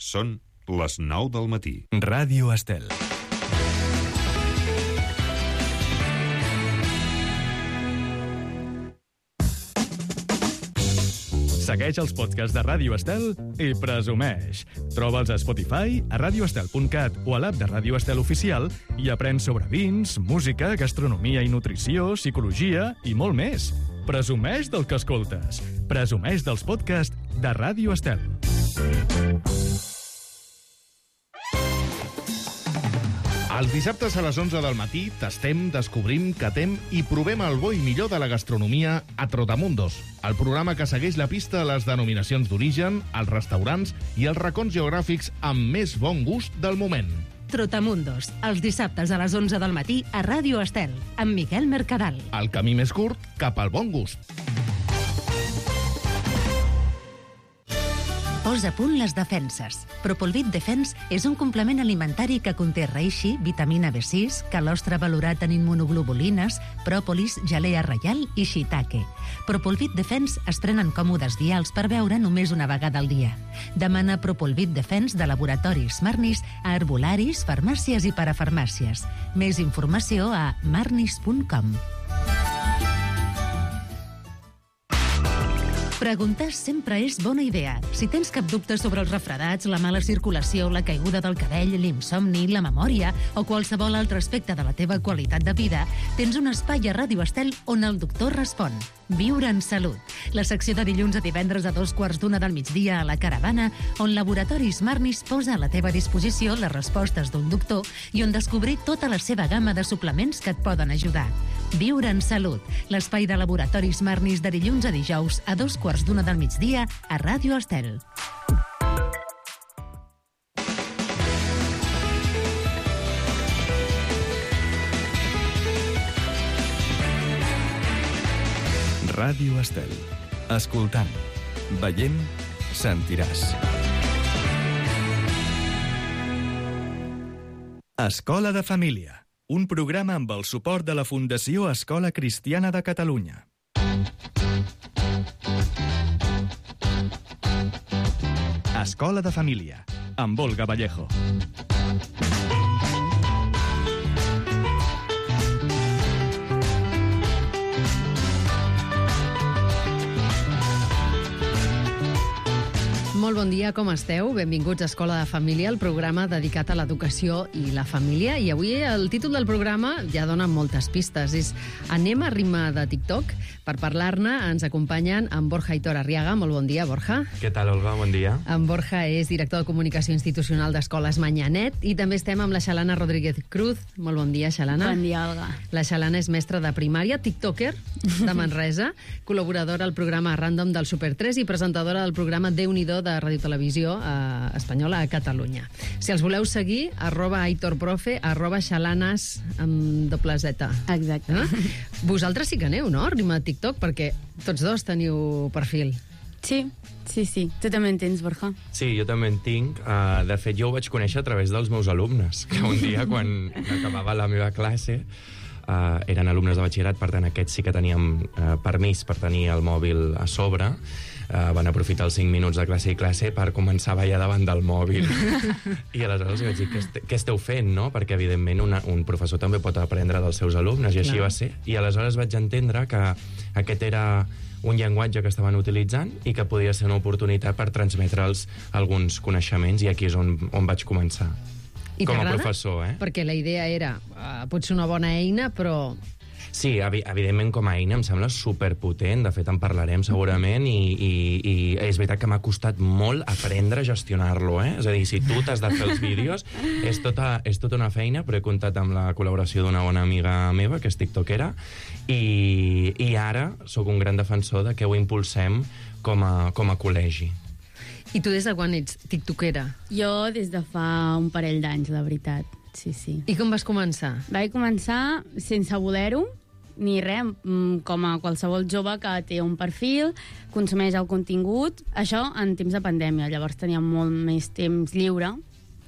Són les 9 del matí. Ràdio Estel. Segueix els podcasts de Ràdio Estel i presumeix. Troba'ls a Spotify, a radioestel.cat o a l'app de Ràdio Estel Oficial i aprèn sobre vins, música, gastronomia i nutrició, psicologia i molt més. Presumeix del que escoltes. Presumeix dels podcasts de Ràdio Estel. Els dissabtes a les 11 del matí tastem, descobrim, catem i provem el bo i millor de la gastronomia a Trotamundos, el programa que segueix la pista a les denominacions d'origen, els restaurants i els racons geogràfics amb més bon gust del moment. Trotamundos, els dissabtes a les 11 del matí a Ràdio Estel, amb Miquel Mercadal. El camí més curt cap al bon gust. Posa a punt les defenses. Propolvit Defense és un complement alimentari que conté reishi, vitamina B6, calostre valorat en immunoglobulines, pròpolis, gelea reial i shiitake. Propolvit Defense es prenen còmodes vials per beure només una vegada al dia. Demana Propolvit Defense de laboratoris Marnis a herbolaris, farmàcies i parafarmàcies. Més informació a marnis.com. Preguntar sempre és bona idea. Si tens cap dubte sobre els refredats, la mala circulació, la caiguda del cabell, l'insomni, la memòria o qualsevol altre aspecte de la teva qualitat de vida, tens un espai a Ràdio Estel on el doctor respon. Viure en salut. La secció de dilluns a divendres a 2:15 del migdia a la Caravana, on Laboratoris Marnis posa a la teva disposició les respostes d'un doctor i on descobrir tota la seva gamma de suplements que et poden ajudar. Viure en salut. L'espai de Laboratoris Marnis de dilluns a dijous a 2:15 del migdia a Ràdio Estel. Ràdio Estel. Escoltant, veient, sentiràs. Escola de Família. Un programa amb el suport de la Fundació Escola Cristiana de Catalunya. Escola de Família, amb Olga Vallejo. Molt bon dia, com esteu? Benvinguts a Escola de Família, el programa dedicat a l'educació i la família. I avui el títol del programa ja dona moltes pistes. És Anem a ritme de TikTok. Per parlar-ne ens acompanyen en Borja Aitor Arriaga. Molt bon dia, Borja. Què tal, Olga? Bon dia. En Borja és director de Comunicació Institucional d'Escoles Manyanet i també estem amb la Xalana Rodríguez Cruz. Molt bon dia, Xalana. Bon dia, Olga. La Xalana és mestra de primària, tiktoker de Manresa, col·laboradora al programa Random del Super 3 i presentadora del programa Déu-n'hi-do de Ràdio Televisió Espanyola a Catalunya. Si els voleu seguir, @aitorprofe, @xalanas amb doble Z. Exacte. Vosaltres sí que aneu, no? Ritme de TikTok, perquè tots dos teniu perfil. Sí. Tu també en tens, Borja? Sí, jo també en tinc. De fet, jo ho vaig conèixer a través dels meus alumnes, que un dia, quan acabava la meva classe, eren alumnes de batxillerat, per tant, aquests sí que teníem permís per tenir el mòbil a sobre. Van aprofitar els 5 minuts de classe i classe per començar a ballar davant del mòbil. I aleshores vaig dir, què esteu fent, no? Perquè, evidentment, un professor també pot aprendre dels seus alumnes, i així va ser. I aleshores vaig entendre que aquest era un llenguatge que estaven utilitzant i que podia ser una oportunitat per transmetre'ls alguns coneixements, i aquí és on vaig començar. I com a t'agrada? professor, Perquè la idea era, pot ser una bona eina, però... Sí, evidentment com a eina em sembla superpotent, de fet en parlarem segurament, i és veritat que m'ha costat molt aprendre a gestionar-lo, És a dir, si tu t'has de fer els vídeos, és tota una feina, però he comptat amb la col·laboració d'una bona amiga meva, que és tiktokera, i ara sóc un gran defensor de que ho impulsem com a col·legi. I tu des de quan ets tiktokera? Jo des de fa un parell d'anys, la veritat. Sí. I com vas començar? Vaig començar sense voler-ho, ni res, com a qualsevol jove que té un perfil, consumeix el contingut, això en temps de pandèmia. Llavors tenia molt més temps lliure,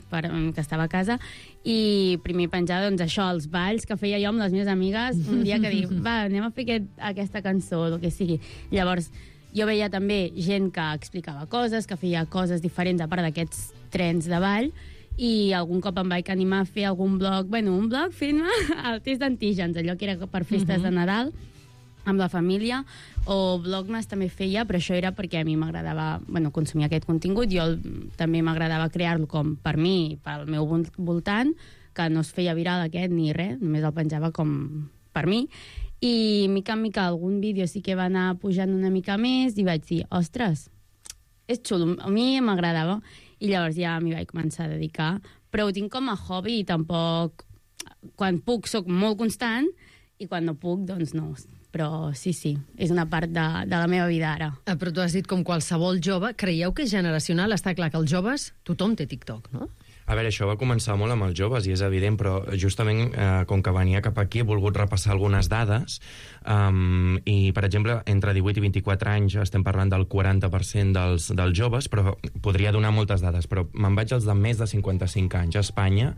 que estava a casa, i primer penjar, doncs, això, els balls que feia jo amb les meves amigues, un dia que dic, va, anem a fer aquesta cançó, o el que sigui. Llavors, Jo veia també gent que explicava coses, que feia coses diferents a part d'aquests trens de ball, i algun cop em vaig animar a fer algun blog, un blog fent-me el test d'antígens, allò que era per festes de Nadal, amb la família, o Vlogmas també feia, però això era perquè a mi m'agradava consumir aquest contingut. Jo també m'agradava crear-lo com per mi, pel meu voltant, que no es feia viral aquest ni res, només el penjava com per mi. I mica en mica algun vídeo sí que va anar pujant una mica més i vaig dir, ostres, és xulo, a mi m'agradava. I llavors ja m'hi vaig començar a dedicar, però ho tinc com a hobby i tampoc... Quan puc soc molt constant i quan no puc, doncs no. Però sí, és una part de la meva vida ara. Però tu has dit com qualsevol jove. Creieu que és generacional? Està clar que els joves, tothom té TikTok, no? A veure, això va començar molt amb els joves, i és evident, però justament, com que venia cap aquí, he volgut repassar algunes dades, i, per exemple, entre 18 i 24 anys estem parlant del 40% dels joves, però podria donar moltes dades, però me'n vaig als de més de 55 anys. A Espanya,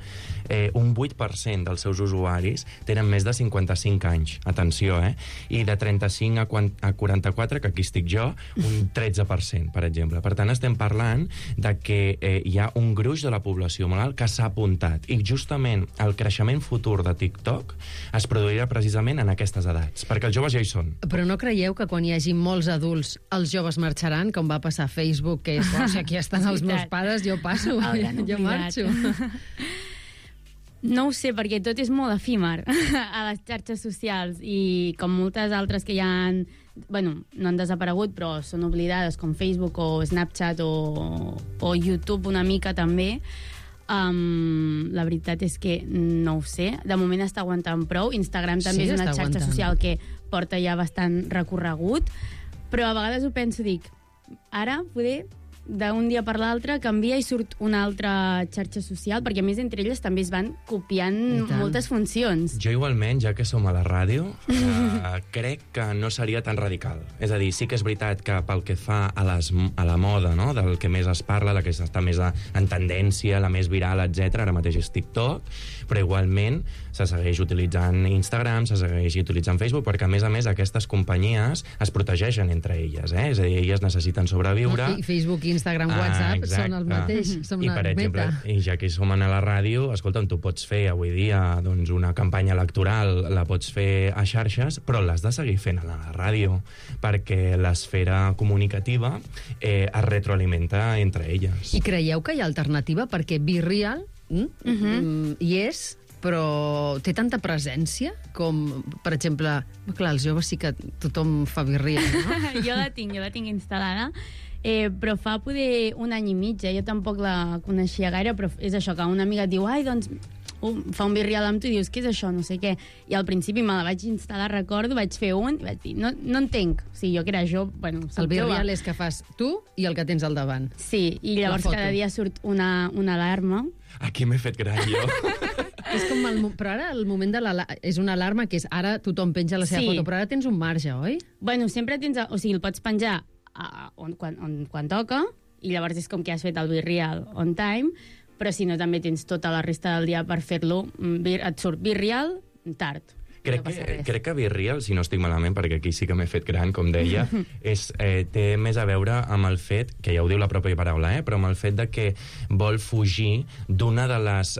un 8% dels seus usuaris tenen més de 55 anys. Atenció, I de 35 a 44, que aquí estic jo, un 13%, per exemple. Per tant, estem parlant de que hi ha un gruix de la població molt alt que s'ha apuntat, i justament el creixement futur de TikTok es produirà precisament en aquestes edats, perquè els joves ja hi són. Però no creieu que quan hi hagi molts adults els joves marxaran, com va passar a Facebook, que és, si aquí estan els meus pares, jo passo, jo marxo. No ho sé, perquè tot és molt efímer a les xarxes socials, i com moltes altres que ja no han desaparegut, però són oblidades, com Facebook o Snapchat o YouTube una mica també. La veritat és que no ho sé. De moment està aguantant prou. Instagram també és una xarxa social que porta ja bastant recorregut, però a vegades ho penso, dic, ara poder d'un dia per l'altre canvia i surt una altra xarxa social, perquè a més entre elles també es van copiant moltes funcions. Jo igualment, ja que som a la ràdio, crec que no seria tan radical. És a dir, sí que és veritat que pel que fa a la moda, no?, del que més es parla, la que està més en tendència, la més viral, etc., ara mateix és TikTok, però igualment se segueix utilitzant Instagram, se segueix utilitzant Facebook, perquè a més aquestes companyies es protegeixen entre elles, És a dir, elles necessiten sobreviure. Facebook, Instagram, WhatsApp són el mateix, som una per exemple, i ja que som a la ràdio, escolta'm, tu pots fer avui dia una campanya electoral, la pots fer a xarxes, però l'has de seguir fent a la ràdio, perquè l'esfera comunicativa es retroalimenta entre elles. I creieu que hi ha alternativa? Perquè Be Real hi és, però té tanta presència com, per exemple, clar, els joves sí que tothom fa Be Real, no? Jo la tinc instal·lada, però fa poder un any i mig, jo tampoc la coneixia gaire, però és això, que una amiga et diu, doncs fa un Be Real amb tu i dius, què és això, no sé què, i al principi me la vaig instal·lar, recordo, vaig fer un i vaig dir, no entenc, o sigui, jo que era jove, el Be Real és que fas tu i el que tens al davant. Sí, i llavors cada dia surt una alarma. Aquí m'he fet gran, jo. És com però ara el moment de és una alarma que és ara tothom penja la seva foto, però ara tens un marge, oi? Sempre tens, o sigui, el pots penjar quan toca, i llavors és com que has fet el Be Real on time, però si no també tens tota la resta del dia per fer-lo, et surt Be Real tard. Crec que Be Real, si no estic malament, perquè aquí sí que m'he fet gran, com deia, té més a veure amb el fet, que ja ho diu la pròpia paraula, però amb el fet de que vol fugir d'una de les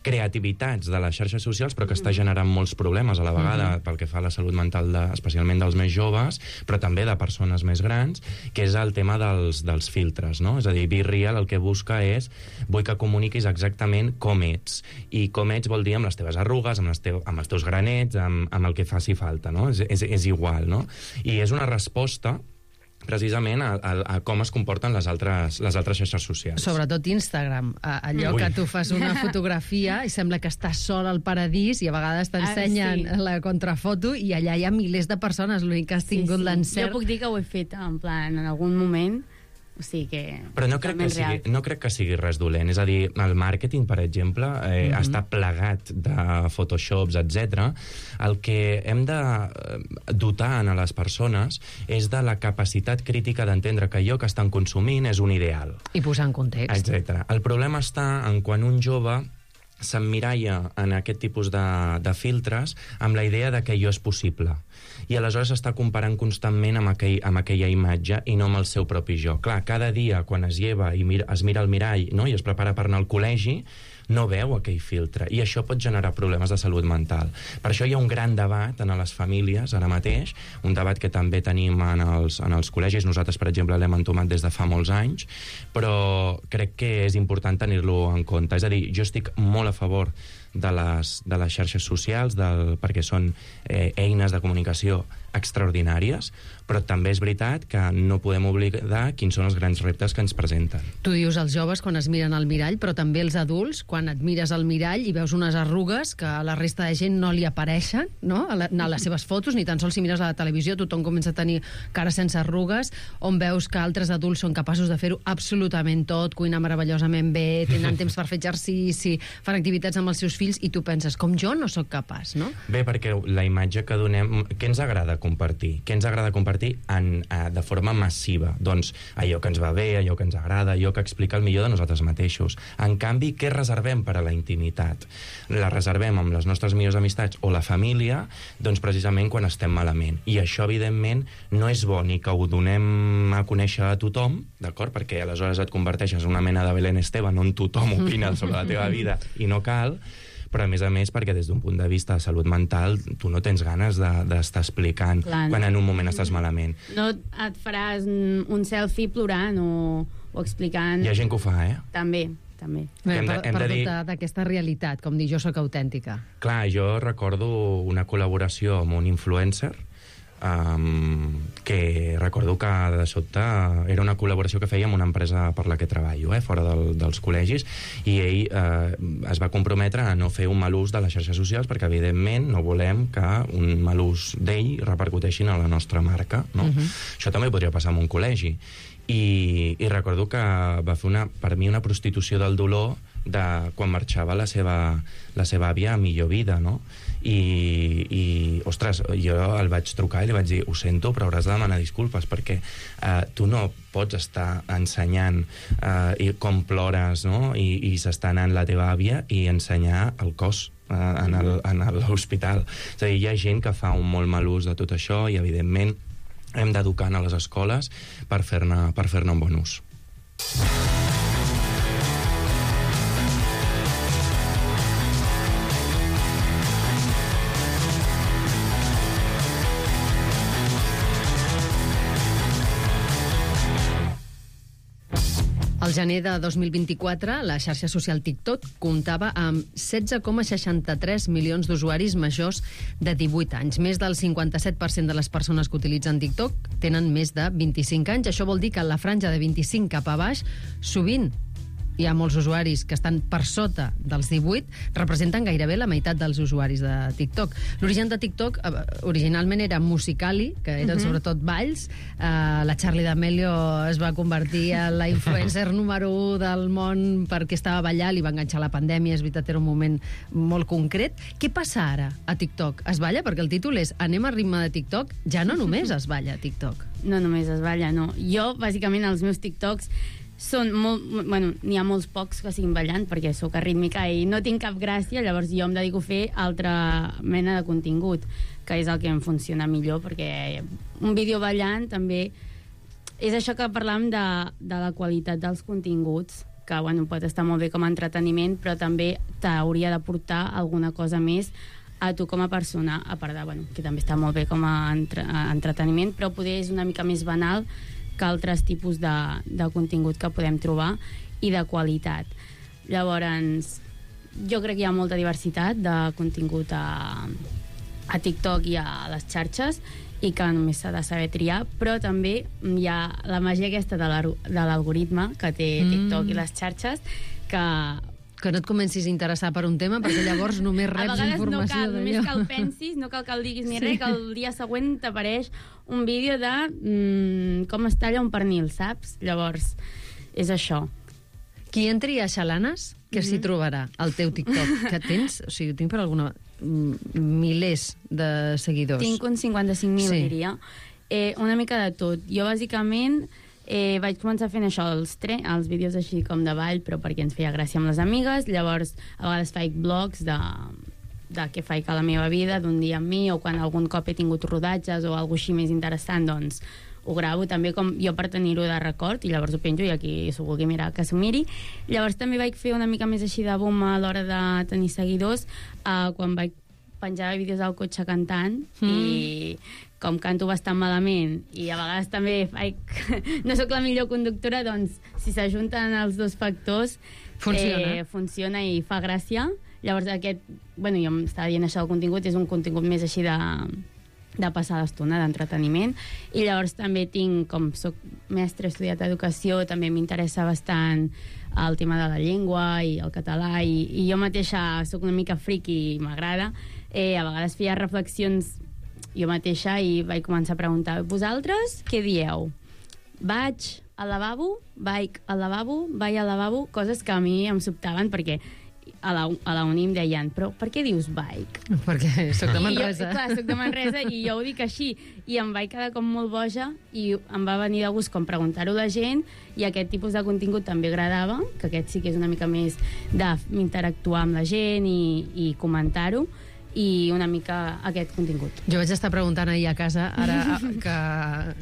creativitats de les xarxes socials, però que està generant molts problemes a la vegada pel que fa a la salut mental, especialment dels més joves, però també de persones més grans, que és el tema dels filtres, no? És a dir, Be Real el que busca és, vull que comuniquis exactament com ets, i com ets vol dir amb les teves arrugues, amb els teus granets, amb el que faci falta, no? És igual, no? I és una resposta precisament a com es comporten les altres xarxes socials. Sobretot Instagram, allò que tu fas una fotografia i sembla que estàs sol al paradís i a vegades t'ensenyen la contrafoto i allà hi ha milers de persones, l'únic que has tingut l'encert. Jo puc dir que ho he fet en plan en algun moment. O sigui que... Però no crec que sigui res dolent. És a dir, el màrqueting, per exemple, està plegat de Photoshops, etc. El que hem de dotar a les persones és de la capacitat crítica d'entendre que allò que estan consumint és un ideal. I posar en context. Etc. El problema està en quan un jove s'emmiralla en aquest tipus de filtres amb la idea de que allò és possible. I aleshores està comparant constantment amb aquella imatge i no amb el seu propi jo. Clar, cada dia, quan es lleva i es mira al mirall, no?, i es prepara per anar al col·legi, no veu aquell filtre, i això pot generar problemes de salut mental. Per això hi ha un gran debat en les famílies ara mateix, un debat que també tenim en els col·legis. Nosaltres, per exemple, l'hem entomat des de fa molts anys, però crec que és important tenir-lo en compte. És a dir, jo estic molt a favor de les xarxes socials, perquè són eines de comunicació extraordinàries, però també és veritat que no podem oblidar quins són els grans reptes que ens presenten. Tu dius els joves quan es miren al mirall, però també els adults, quan et mires al mirall i veus unes arrugues que a la resta de gent no li apareixen, no?, a les seves fotos, ni tan sols si mires a la televisió, tothom comença a tenir cara sense arrugues, on veus que altres adults són capaços de fer-ho absolutament tot, cuinar meravellosament bé, tenen temps per fer exercici, fan activitats amb els seus fills, i tu penses, com jo no sóc capaç, no? Bé, perquè la imatge que donem... Què ens agrada compartir? Què ens agrada compartir de forma massiva? Doncs allò que ens va bé, allò que ens agrada, allò que explica el millor de nosaltres mateixos. En canvi, què reservem per a la intimitat? La reservem amb les nostres millors amistats o la família, doncs precisament quan estem malament. I això, evidentment, no és bo ni que ho donem a conèixer a tothom, d'acord? Perquè aleshores et converteixes en una mena de Belén Esteban on tothom opina sobre la teva vida i no cal, però a més, perquè des d'un punt de vista de salut mental tu no tens ganes d'estar explicant quan en un moment estàs malament. No et faràs un selfie plorant o explicant... Hi ha gent que ho fa, També. Per dubtar d'aquesta realitat, com dir, jo sóc autèntica. Clar, jo recordo una col·laboració amb un influencer, que recordo que de sobte era una col·laboració que feia amb una empresa per la que treballo, fora dels col·legis, i ell es va comprometre a no fer un mal ús de les xarxes socials perquè evidentment no volem que un mal ús d'ell repercuteixin a la nostra marca, no? Això també podria passar en un col·legi, i recordo que va fer per mi una prostitució del dolor de quan marxava la seva àvia a millor vida, no? I ostres, jo el vaig trucar i li vaig dir, ho sento, però hauràs de demanar disculpes perquè tu no pots estar ensenyant com plores, no?, i s'està anant la teva àvia i ensenyar el cos en l'hospital. És a dir, hi ha gent que fa un molt mal ús de tot això i, evidentment, hem d'educar a les escoles per fer-ne un bon ús. Al gener de 2024, la xarxa social TikTok comptava amb 16,63 milions d'usuaris majors de 18 anys. Més del 57% de les persones que utilitzen TikTok tenen més de 25 anys. Això vol dir que en la franja de 25 cap a baix, sovint hi ha molts usuaris que estan per sota dels 18, representen gairebé la meitat dels usuaris de TikTok. L'origen de TikTok originalment era Musical.ly, que eren sobretot balls. La Charli D'Amelio es va convertir en la influencer número 1 del món perquè estava ballant, li va enganxar la pandèmia, és veritat, era un moment molt concret. Què passa ara a TikTok? Es balla? Perquè el títol és Anem a ritme de TikTok. Ja no només es balla a TikTok. No només es balla, no. Jo, bàsicament, els meus TikToks són molt... Bueno, n'hi ha molts pocs que siguin ballant perquè sóc arrítmica i no tinc cap gràcia, llavors jo em dedico a fer altra mena de contingut, que és el que em funciona millor, perquè un vídeo ballant també... És això que parlàvem de la qualitat dels continguts, que bueno, pot estar molt bé com a entreteniment, però també t'hauria d'aportar alguna cosa més a tu com a persona, a part de, bueno, que també està molt bé com a entreteniment, però poder és una mica més banal que altres tipus de contingut que podem trobar i de qualitat. Llavors, jo crec que hi ha molta diversitat de contingut a TikTok i a les xarxes i que només s'ha de saber triar, però també hi ha la màgia aquesta de l'algoritme que té TikTok i les xarxes que no et comencis a interessar per un tema, perquè llavors només reps informació d'allò. Només que el pensis, no cal que el diguis ni res, que el dia següent t'apareix un vídeo de com es talla un pernil, saps? Llavors, és això. Qui entri a Xalanes, què s'hi trobarà al teu TikTok? Que tens, o sigui, tinc per alguna... milers de seguidors. Tinc uns 55.000, diria. Una mica de tot. Jo, bàsicament, Vaig començar fent això, els vídeos així com de ball, però perquè ens feia gràcia amb les amigues. Llavors, a vegades faig blogs de què faig a la meva vida, d'un dia amb mi, o quan algun cop he tingut rodatges o alguna així més interessant, doncs ho gravo també com jo per tenir-ho de record, i llavors ho penjo i aquí s'ho vulgui mirar que s'ho miri. Llavors també vaig fer una mica més així de boom a l'hora de tenir seguidors quan vaig penjar vídeos al cotxe cantant i com canto bastant malament i a vegades també no sóc la millor conductora, doncs si s'ajunten els dos factors funciona i fa gràcia. Llavors jo m'estava dient això del contingut, és un contingut més així de passar l'estona, d'entreteniment. I llavors també com soc mestra, he estudiat educació, també m'interessa bastant el tema de la llengua i el català, i jo mateixa soc una mica friki i m'agrada. A vegades feia reflexions jo mateixa i vaig començar a preguntar: vosaltres què dieu? Vaig al lavabo, vaig al lavabo, coses que a mi em sobtaven perquè a la uni em deien, però per què dius bike? Perquè soc de Manresa. Clar, soc de Manresa i jo ho dic així. I em vaig quedar com molt boja i em va venir de gust com preguntar-ho a la gent, i aquest tipus de contingut també agradava, que aquest sí que és una mica més d'interactuar amb la gent i comentar-ho, i una mica aquest contingut. Jo vaig estar preguntant ahir a casa, ara que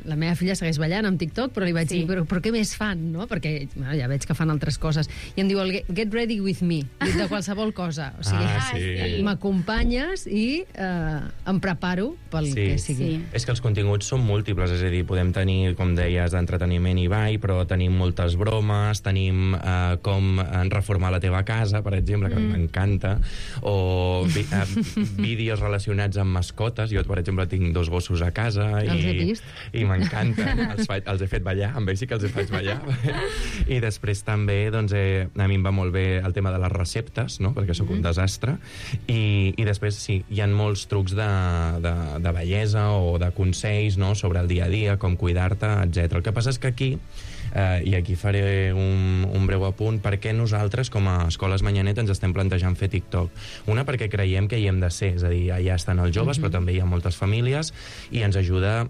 la meva filla segueix ballant amb TikTok, però li vaig dir, però què més fan, no? Perquè ja veig que fan altres coses. I em diu, get ready with me, de qualsevol cosa. O sigui, m'acompanyes i em preparo pel que sigui. És que els continguts són múltiples, és a dir, podem tenir, com deies, d'entreteniment i ball, però tenim moltes bromes, tenim com reformar la teva casa, per exemple, que m'encanta, o vídeos relacionats amb mascotes. Jo, per exemple, tinc 2 gossos a casa i m'encanten. Els he fet ballar, amb ells sí que els faig ballar. I després també, doncs, a mi em va molt bé el tema de les receptes, no? Perquè sóc un desastre. I després, sí, hi ha molts trucs de bellesa o de consells, no? Sobre el dia a dia, com cuidar-te, etc. El que passa és que aquí, i aquí faré un breu apunt, per què nosaltres, com a Escoles Manyanet, ens estem plantejant fer TikTok. Una, perquè creiem que hi hem de ser, és a dir, allà estan els joves, però també hi ha moltes famílies, i ens ajuda.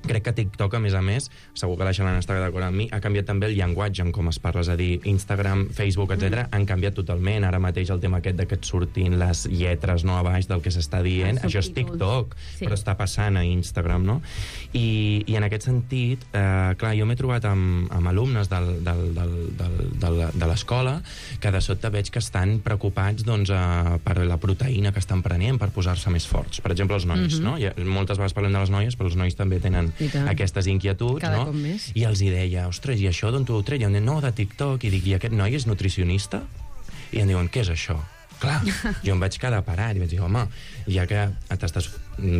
Crec que TikTok, a més, segur que la Xelana està d'acord amb mi, ha canviat també el llenguatge en com es parla, és a dir, Instagram, Facebook, etc. han canviat totalment. Ara mateix el tema aquest de que et surtin les lletres, no, a baix del que s'està dient, això és TikTok, però està passant a Instagram, no? I en aquest sentit, clar, jo m'he trobat amb alumnes de l'escola que de sobte veig que estan preocupats, doncs, per la proteïna que estan prenent, per posar-se més forts. Per exemple, els nois, no? Moltes vegades parlem de les noies, però els nois també tenen aquestes inquietuds, no? I els hi deia, ostres, i això d'on t'ho treia? No, de TikTok. I dic, i aquest noi és nutricionista? I em diuen, què és això? Clar, jo em vaig quedar parat i vaig dir, home, ja que t'estàs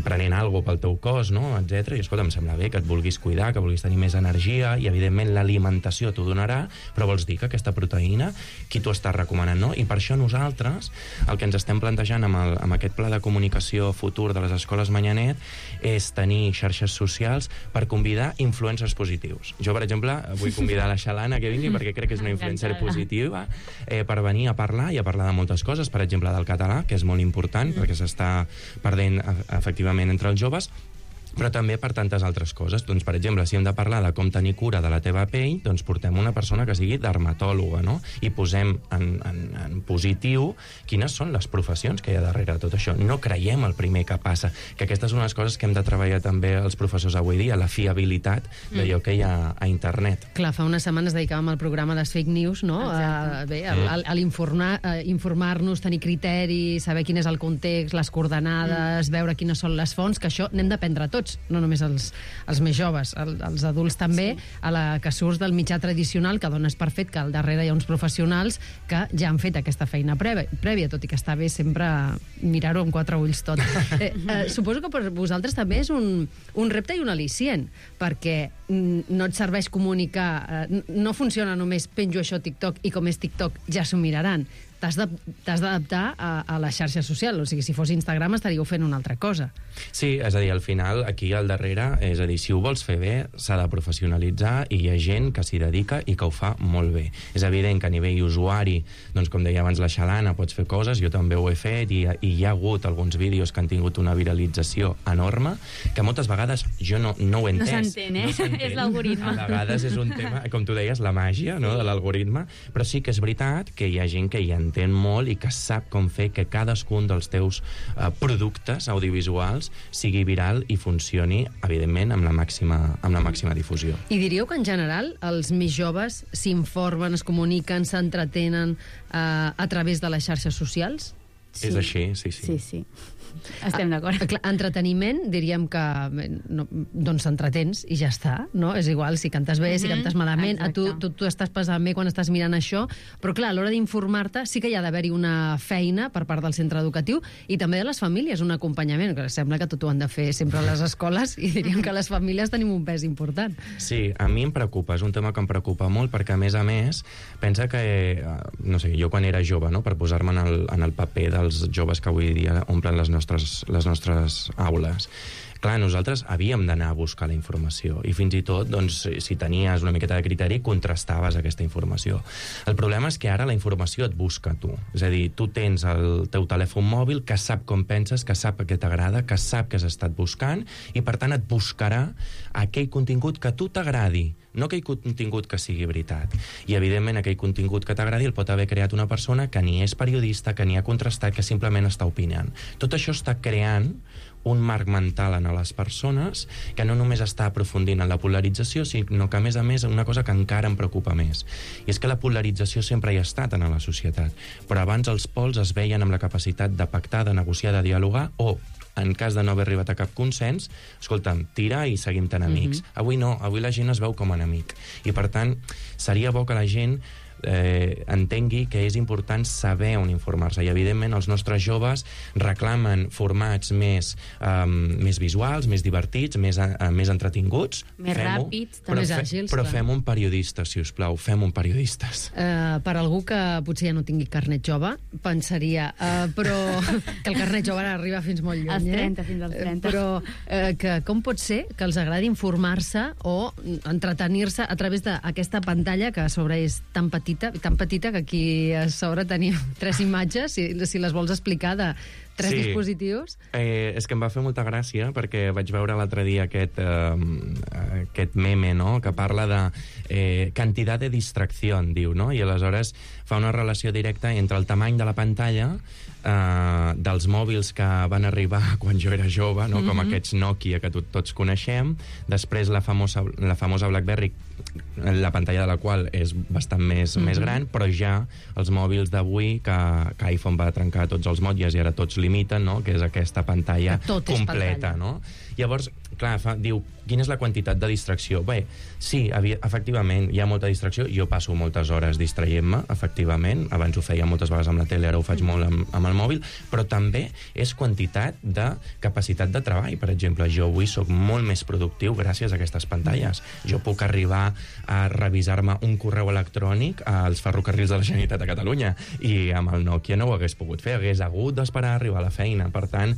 prenent alguna pel teu cos, no?, etc. I escolta, em sembla bé que et vulguis cuidar, que vulguis tenir més energia, i evidentment l'alimentació t'ho donarà, però vols dir que aquesta proteïna, qui t'ho està recomanant, no? I per això nosaltres, el que ens estem plantejant amb aquest pla de comunicació futur de les Escoles Manyanet és tenir xarxes socials per convidar influencers positius. Jo, per exemple, vull convidar la Xelana que vingui perquè crec que és una influencer positiva per venir a parlar i a parlar de moltes coses, per exemple, del català, que és molt important perquè s'està perdent efectivament entre els joves, però també per tantes altres coses. Doncs, per exemple, si hem de parlar de com tenir cura de la teva pell, doncs portem una persona que sigui dermatòloga, no? I posem en positiu quines són les professions que hi ha darrere de tot això. No creiem el primer que passa, que aquestes són les coses que hem de treballar també els professors avui dia, la fiabilitat d'allò que hi ha a internet. Clar, fa unes setmanes dedicàvem al programa a les fake news, no? Bé, a informar-nos, tenir criteri, saber quin és el context, les coordenades, veure quines són les fonts, que això n'hem d'aprendre tots, no només els més joves, els adults també, a la que surts del mitjà tradicional, que dones per fet que al darrere hi ha uns professionals que ja han fet aquesta feina prèvia, tot i que està bé sempre mirar-ho amb 4 ulls tot. Suposo que per vosaltres també és un repte i un al·licient, perquè no et serveix comunicar, no funciona només penjo això a TikTok i com és TikTok ja s'ho miraran. T'has d'adaptar a la xarxa social. O sigui, si fos Instagram estaríeu fent una altra cosa. Sí, és a dir, al final, aquí al darrere, és a dir, si ho vols fer bé, s'ha de professionalitzar i hi ha gent que s'hi dedica i que ho fa molt bé. És evident que a nivell usuari, doncs, com deia abans la Xelana, pots fer coses, jo també ho he fet, i hi ha hagut alguns vídeos que han tingut una viralització enorme, que moltes vegades jo no ho he entès. No s'entén, és l'algoritme. A vegades és un tema, com tu deies, la màgia, no?, de l'algoritme, però sí que és veritat que hi ha gent que hi entén molt i que sap com fer que cadascun dels teus productes audiovisuals sigui viral i funcioni, evidentment, amb la màxima difusió. I diríeu que, en general, els més joves s'informen, es comuniquen, s'entretenen a través de les xarxes socials? Sí. És així, sí. Sí. Estem d'acord. Entreteniment, diríem que doncs t'entretens i ja està, no? És igual si cantes bé, si cantes malament, tu estàs passant bé quan estàs mirant això, però clar, a l'hora d'informar-te sí que hi ha d'haver-hi una feina per part del centre educatiu i també de les famílies, un acompanyament, que sembla que tot ho han de fer sempre a les escoles i diríem que les famílies tenim un pes important. Sí, a mi em preocupa, és un tema que em preocupa molt perquè, a més, pensa que, no sé, jo quan era jove, no?, per posar-me en el paper dels joves que avui dia omplen les nostres aules. Clar, nosaltres havíem d'anar a buscar la informació i fins i tot, doncs, si tenies una miqueta de criteri, contrastaves aquesta informació. El problema és que ara la informació et busca tu. És a dir, tu tens el teu telèfon mòbil que sap com penses, que sap què t'agrada, que sap que has estat buscant i, per tant, et buscarà aquell contingut que a tu t'agradi, no aquell contingut que sigui veritat. I, evidentment, aquell contingut que t'agradi el pot haver creat una persona que ni és periodista, que ni ha contrastat, que simplement està opinant. Tot això està creant un marc mental en les persones que no només està aprofundint en la polarització, sinó que, a més, una cosa que encara em preocupa més. I és que la polarització sempre hi ha estat en la societat, però abans els pols es veien amb la capacitat de pactar, de negociar, de dialogar, o, en cas de no haver arribat a cap consens, escolta'm, tira i seguim tan amics. Avui no, avui la gent es veu com a enemic. I, per tant, seria bo que la gent entengui que és important saber on informar-se i, evidentment, els nostres joves reclamen formats més visuals, més divertits, més entretinguts, més ràpids, més àgils, però fem un periodista, si us plau, fem un periodistes. Per algú que potser ja no tingui carnet jove, pensaria, però que el carnet jove arriba fins molt lluny, als 30, fins als 30. Però que com pot ser que els agradi informar-se o entretenir-se a través d'aquesta pantalla que a sobre és tan petita que aquí a sobre tenim 3 imatges, si les vols explicar, de 3 dispositius. És que em va fer molta gràcia perquè vaig veure l'altre dia aquest meme, no?, que parla de quantitat de distracció, diu, no?, i aleshores fa una relació directa entre el tamany de la pantalla dels mòbils que van arribar quan jo era jove, no?, com aquests Nokia que tots coneixem, després la famosa BlackBerry, la pantalla de la qual és bastant més gran, però ja els mòbils d'avui, que iPhone va trencar tots els motlles i ara tots l'imiten, no?, que és aquesta pantalla completa, no? Llavors, clar, diu, quina és la quantitat de distracció? Bé, sí, efectivament, hi ha molta distracció. Jo passo moltes hores distraient-me, efectivament. Abans ho feia moltes vegades amb la tele, ara ho faig molt amb el mòbil, però també és quantitat de capacitat de treball. Per exemple, jo avui soc molt més productiu gràcies a aquestes pantalles. Jo puc arribar a revisar-me un correu electrònic als ferrocarrils de la Generalitat de Catalunya i amb el Nokia no ho hagués pogut fer, hagués hagut d'esperar a arribar a la feina. Per tant,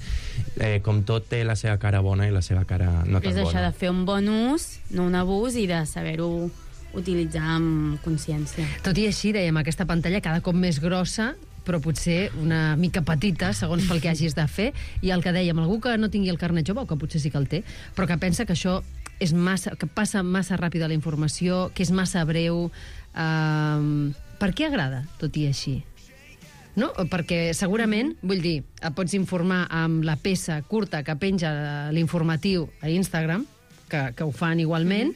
com tot té la seva cara bona i la seva cara no tan bona. És això de fer un bon ús, no un abús, i de saber-ho utilitzar amb consciència. Tot i així, dèiem, aquesta pantalla cada cop més grossa, però potser una mica petita, segons pel que hagis de fer, i el que dèiem, algú que no tingui el carnet jove, o que potser sí que el té, però que pensa que això és que passa massa ràpida la informació, que és massa breu. Per què agrada, tot i així? No? Perquè segurament, vull dir, et pots informar amb la peça curta que penja l'informatiu a Instagram, que ho fan igualment,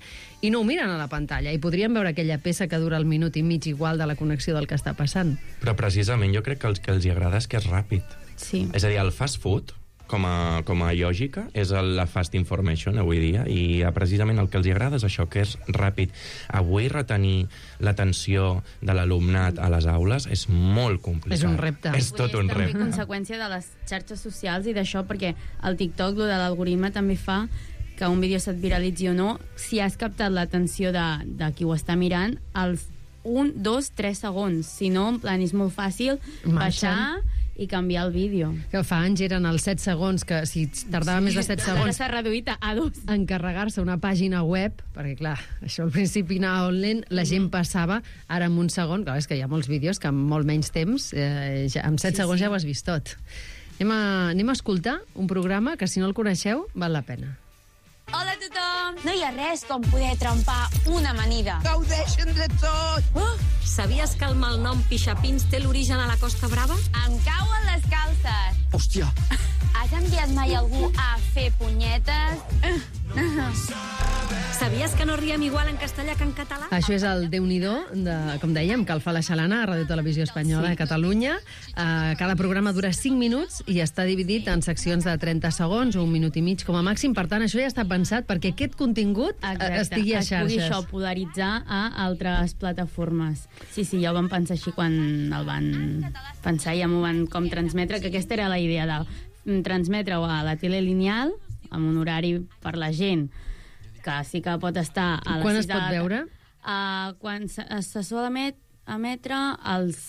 i no ho miren a la pantalla, i podrien veure aquella peça que dura el minut i mig igual de la connexió del que està passant. Però precisament jo crec que el que els agrada és que és ràpid. Sí. És a dir, el fast food, com a lògica, és la fast information avui dia, i precisament el que els agrada és això, que és ràpid. Avui retenir l'atenció de l'alumnat a les aules és molt complicat. És un repte. És tot un repte. És també conseqüència de les xarxes socials i d'això, perquè el TikTok, lo de l'algoritme, també fa que un vídeo se't viralitzi o no, si has captat l'atenció de qui ho està mirant, als 1, 2, 3 segons. Si no, en plan, és molt fàcil baixar i canviar el vídeo. Que fa anys eren els 7 segons, que si tardava més de 7 segons... Ara s'ha reduït a 2. Encarregar-se una pàgina web, perquè, clar, això al principi anava lent, la gent passava, ara en un segon, clar, és que hi ha molts vídeos que en molt menys temps, amb 7 segons ja ho has vist tot. Anem a escoltar un programa que, si no el coneixeu, val la pena. Hola a tothom! No hi ha res com poder trempar una amanida. Gaudeixen de tot! Sabies que el malnom Pixapins té l'origen a la Costa Brava? Em cauen les calces! Hòstia! Has enviat mai algú a fer punyetes? Sabies que no riem igual en castellà que en català? Això és el Déu-n'hi-do, com dèiem, que el fa la Xalana a Ràdio Televisió Espanyola de Catalunya. Cada programa dura 5 minuts i està dividit en seccions de 30 segons o 1 minut i mig com a màxim. Per tant, això ja està pensat perquè aquest contingut estigui a xarxes. Es pugui això polaritzar a altres plataformes. Sí, ja ho van pensar així quan el van pensar i ja m'ho van com transmetre, que aquesta era la idea de transmetre-ho a la tele lineal amb un horari per la gent que sí que pot estar a les 6 de la... Quan es pot veure? Quan se sol emetre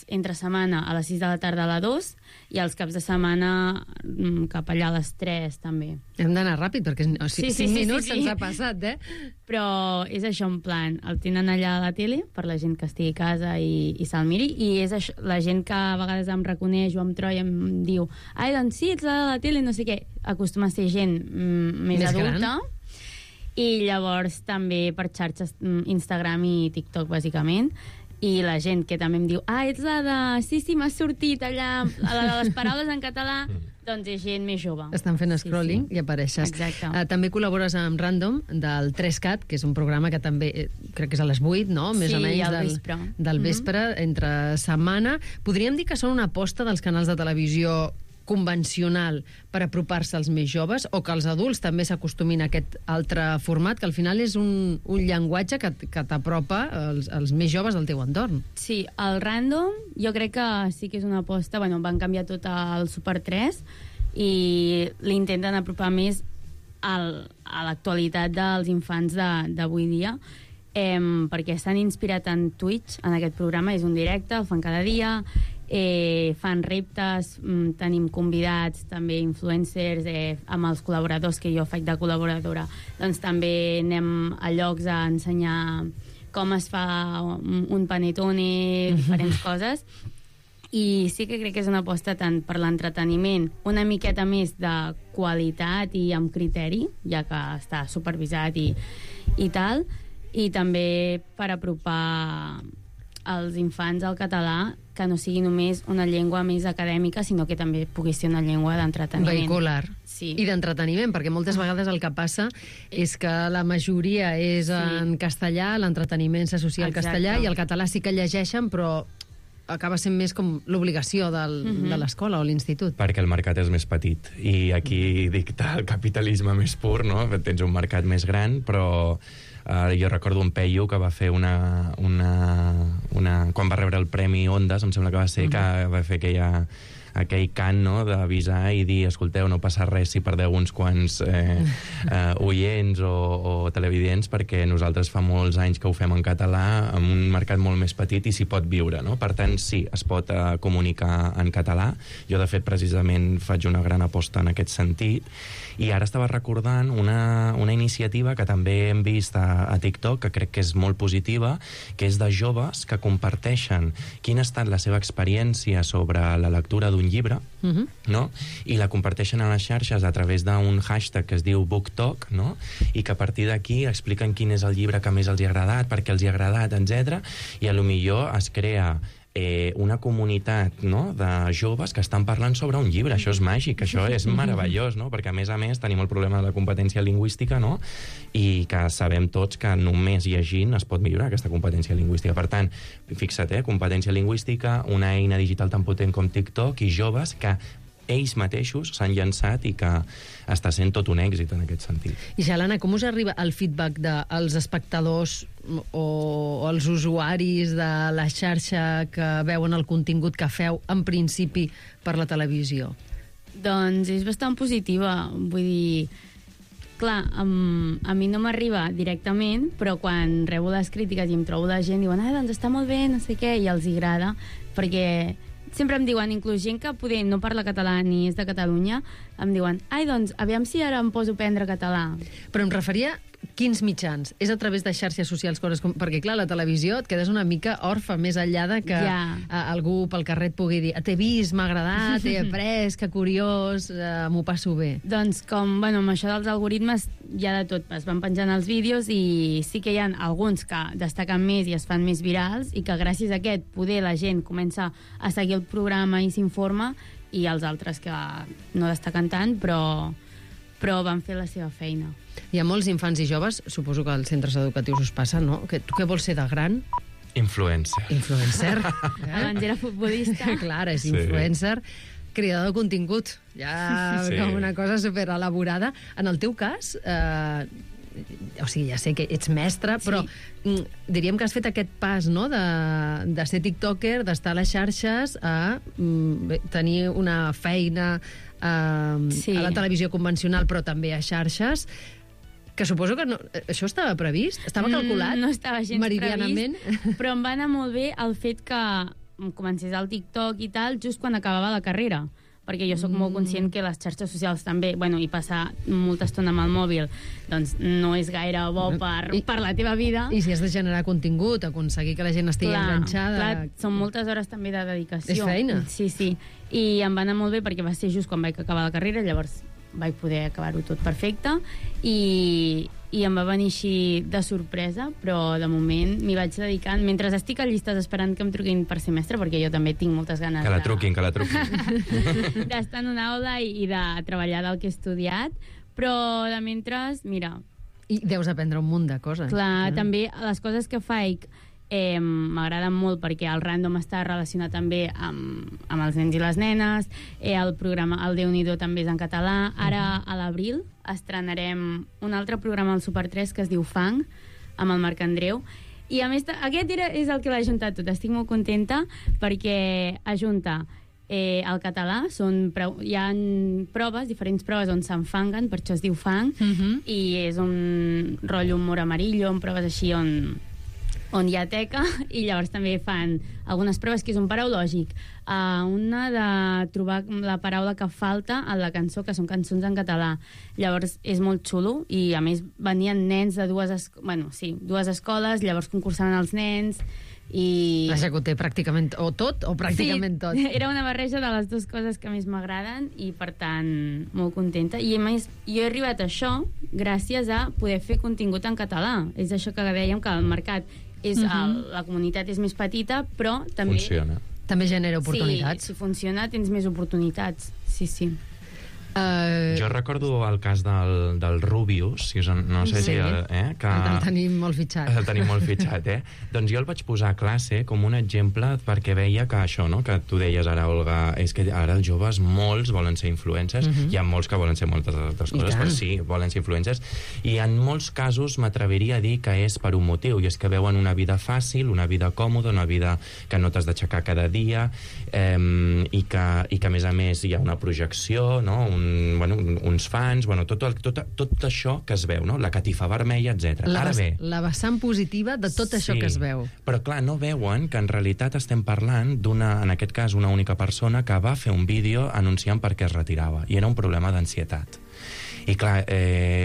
entre setmana a les 6 de la tarda a la 2 i els caps de setmana cap allà a les 3 també. Hem d'anar ràpid perquè 5 minuts se'ns ha passat, Però és això, en plan, el tenen allà a la tele per la gent que estigui a casa i se'l miri, i és això, la gent que a vegades em reconeix o em troba i em diu ai, doncs sí, ets la de la tele, no sé què, acostuma a ser gent més adulta gran. I llavors també per xarxes Instagram i TikTok, bàsicament, i la gent que també em diu ets la de... Sí, m'has sortit allà la de les paraules en català, doncs és gent més jove. Estan fent scrolling i apareixes. Exacte. També col·labores amb Random del 3CAT, que és un programa que també crec que és a les 8, no? Més o menys del vespre, entre setmana. Podríem dir que són una aposta dels canals de televisió convencional per apropar-se als més joves, o que els adults també s'acostumin a aquest altre format, que al final és un llenguatge que t'apropa als més joves del teu entorn. Sí, el Random jo crec que sí que és una aposta, van canviar tot el Super 3 i l'intenten apropar més a l'actualitat dels infants d'avui dia, perquè s'han inspirat en Twitch, en aquest programa, és un directe, el fan cada dia, fan reptes, tenim convidats, també influencers, amb els col·laboradors que jo faig de col·laboradora, doncs també anem a llocs a ensenyar com es fa un panettone, diferents coses, i sí que crec que és una aposta tant per l'entreteniment, una miqueta més de qualitat i amb criteri, ja que està supervisat i tal, i també per apropar als infants al català, que no sigui només una llengua més acadèmica, sinó que també pugui ser una llengua d'entreteniment. Vehicular. Sí. I d'entreteniment, perquè moltes vegades el que passa és que la majoria és en castellà, l'entreteniment s'associa al castellà, i el català sí que llegeixen, però acaba sent més com l'obligació de l'escola o l'institut. Perquè el mercat és més petit, i aquí dicta el capitalisme més pur, no? Tens un mercat més gran, però jo recordo un peio que va fer quan va rebre el Premi Ondas, em sembla que va ser, que va fer aquell cant, no?, d'avisar i dir, escolteu, no passa res si perdeu uns quants oients o televidents, perquè nosaltres fa molts anys que ho fem en català, amb un mercat molt més petit, i s'hi pot viure, no? Per tant, sí, es pot comunicar en català. Jo, de fet, precisament faig una gran aposta en aquest sentit, i ara estava recordant una iniciativa que també hem vist a TikTok, que crec que és molt positiva, que és de joves que comparteixen quina ha estat la seva experiència sobre la lectura d'un llibre, no? I la comparteixen a les xarxes a través d'un hashtag que es diu BookTok, no? I que a partir d'aquí expliquen quin és el llibre que més els hi ha agradat, per què els hi ha agradat, etc. I potser es crea una comunitat, no?, de joves que estan parlant sobre un llibre. Això és màgic, això és meravellós, no? Perquè a més tenim el problema de la competència lingüística, no?, i que sabem tots que només llegint es pot millorar aquesta competència lingüística. Per tant, fixa't, competència lingüística, una eina digital tan potent com TikTok, i joves que ells mateixos s'han llançat i que està sent tot un èxit en aquest sentit. I Xalana, com us arriba el feedback dels espectadors o els usuaris de la xarxa que veuen el contingut que feu, en principi, per la televisió? Doncs és bastant positiva. Vull dir, clar, a mi no m'arriba directament, però quan rebo les crítiques i em trobo la gent, diuen, doncs està molt bé, no sé què, i els agrada, perquè sempre em diuen, inclús gent que poder no parla català ni és de Catalunya, em diuen, doncs, aviam si ara em poso a aprendre català. Però em referia Quins mitjans? És a través de xarxes socials, coses com... Perquè, clar, la televisió et quedes una mica orfa, més enllà de que algú pel carrer et pugui dir t'he vist, m'ha agradat, t'he après, que curiós, m'ho passo bé. Doncs com, bueno, amb això dels algoritmes hi ha de tot. Es van penjant els vídeos i sí que hi ha alguns que destaquen més i es fan més virals i que gràcies a aquest poder la gent comença a seguir el programa i s'informa, i els altres que no destaquen tant, però van fer la seva feina. Hi ha molts infants i joves, suposo que als centres educatius us passa, no? Tu què vols ser de gran? Influencer. Influencer. Abans era futbolista. Clar, és influencer. Creador de contingut. Ja com una cosa superelaborada. En el teu cas, o sigui, ja sé que ets mestre, però diríem que has fet aquest pas, no?, de ser tiktoker, d'estar a les xarxes, a tenir una feina a la televisió convencional, però també a xarxes, que suposo que això estava previst? Estava calculat? No estava gens meridianament previst, però em va anar molt bé el fet que comencés el TikTok i tal just quan acabava la carrera, perquè jo sóc molt conscient que les xarxes socials també, bueno, i passar molta estona amb el mòbil, doncs no és gaire bo per la teva vida. I si has de generar contingut, aconseguir que la gent estigui enganxada... Clar, són moltes hores també de dedicació. És feina. Sí. I em va anar molt bé perquè va ser just quan vaig acabar la carrera, llavors vaig poder acabar-ho tot perfecte i em va venir així de sorpresa, però de moment m'hi vaig dedicant. Mentre estic a llistes esperant que em truquin per ser mestre, perquè jo també tinc moltes ganes que la truquin. d'estar en una aula i de treballar del que he estudiat, però de mentre, mira... I deus aprendre un munt de coses. Clar, també les coses que faig m'agraden molt perquè el Random està relacionat també amb els nens i les nenes, el programa El Déu-n'hi-do també és en català. Ara a l'abril estrenarem un altre programa al Super 3 que es diu Fang, amb el Marc Andreu, i a més aquest és el que l'ha juntat tot. Estic molt contenta perquè ajunta el català, hi ha proves, diferents proves on s'enfanguen, per això es diu Fang, i és un rotllo humor amarillo, amb proves així on hi ha teca, i llavors també fan algunes proves que és un paraulògic, una de trobar la paraula que falta a la cançó, que són cançons en català. Llavors és molt xulo, i a més venien nens de dues escoles, llavors concursaven els nens, i... Vaja, que ho té pràcticament o tot o pràcticament tot. Era una barreja de les dues coses que més m'agraden, i per tant molt contenta. I a més jo he arribat a això gràcies a poder fer contingut en català. És això que dèiem, que el mercat la comunitat és més petita, però també... Funciona. També genera oportunitats. Sí, si funciona tens més oportunitats. Sí. Jo recordo el cas del Rubius, no sé si... que el tenim molt fitxat. El tenim molt fitxat, Doncs jo el vaig posar a classe com un exemple perquè veia que això, no?, que tu deies ara, Olga, és que ara els joves, molts volen ser influencers, hi ha molts que volen ser moltes altres coses, però sí, volen ser influencers, i en molts casos m'atreviria a dir que és per un motiu, i és que veuen una vida fàcil, una vida còmoda, una vida que no t'has d'aixecar cada dia, i que a més hi ha una projecció, no?, uns fans, tot això que es veu, no?, la catifa vermella, etc. La vessant positiva de tot això que es veu. Però clar, no veuen que en realitat estem parlant d'una, en aquest cas, una única persona que va fer un vídeo anunciant per què es retirava, i era un problema d'ansietat. I clar,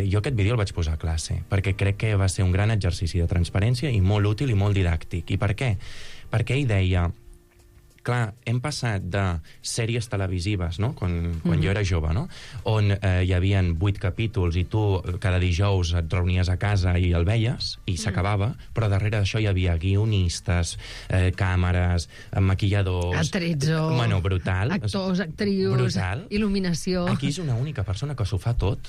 jo aquest vídeo el vaig posar a classe, perquè crec que va ser un gran exercici de transparència i molt útil i molt didàctic. I per què? Perquè ell deia... Clar, hem passat de sèries televisives, no?, quan jo era jove, no?, on hi havia 8 capítols i tu cada dijous et reunies a casa i el veies, i s'acabava, però darrere d'això hi havia guionistes, càmeres, maquilladors... Attrezzo... brutal. Actors, actrius... Brutal. Il·luminació... Aquí és una única persona que s'ho fa tot,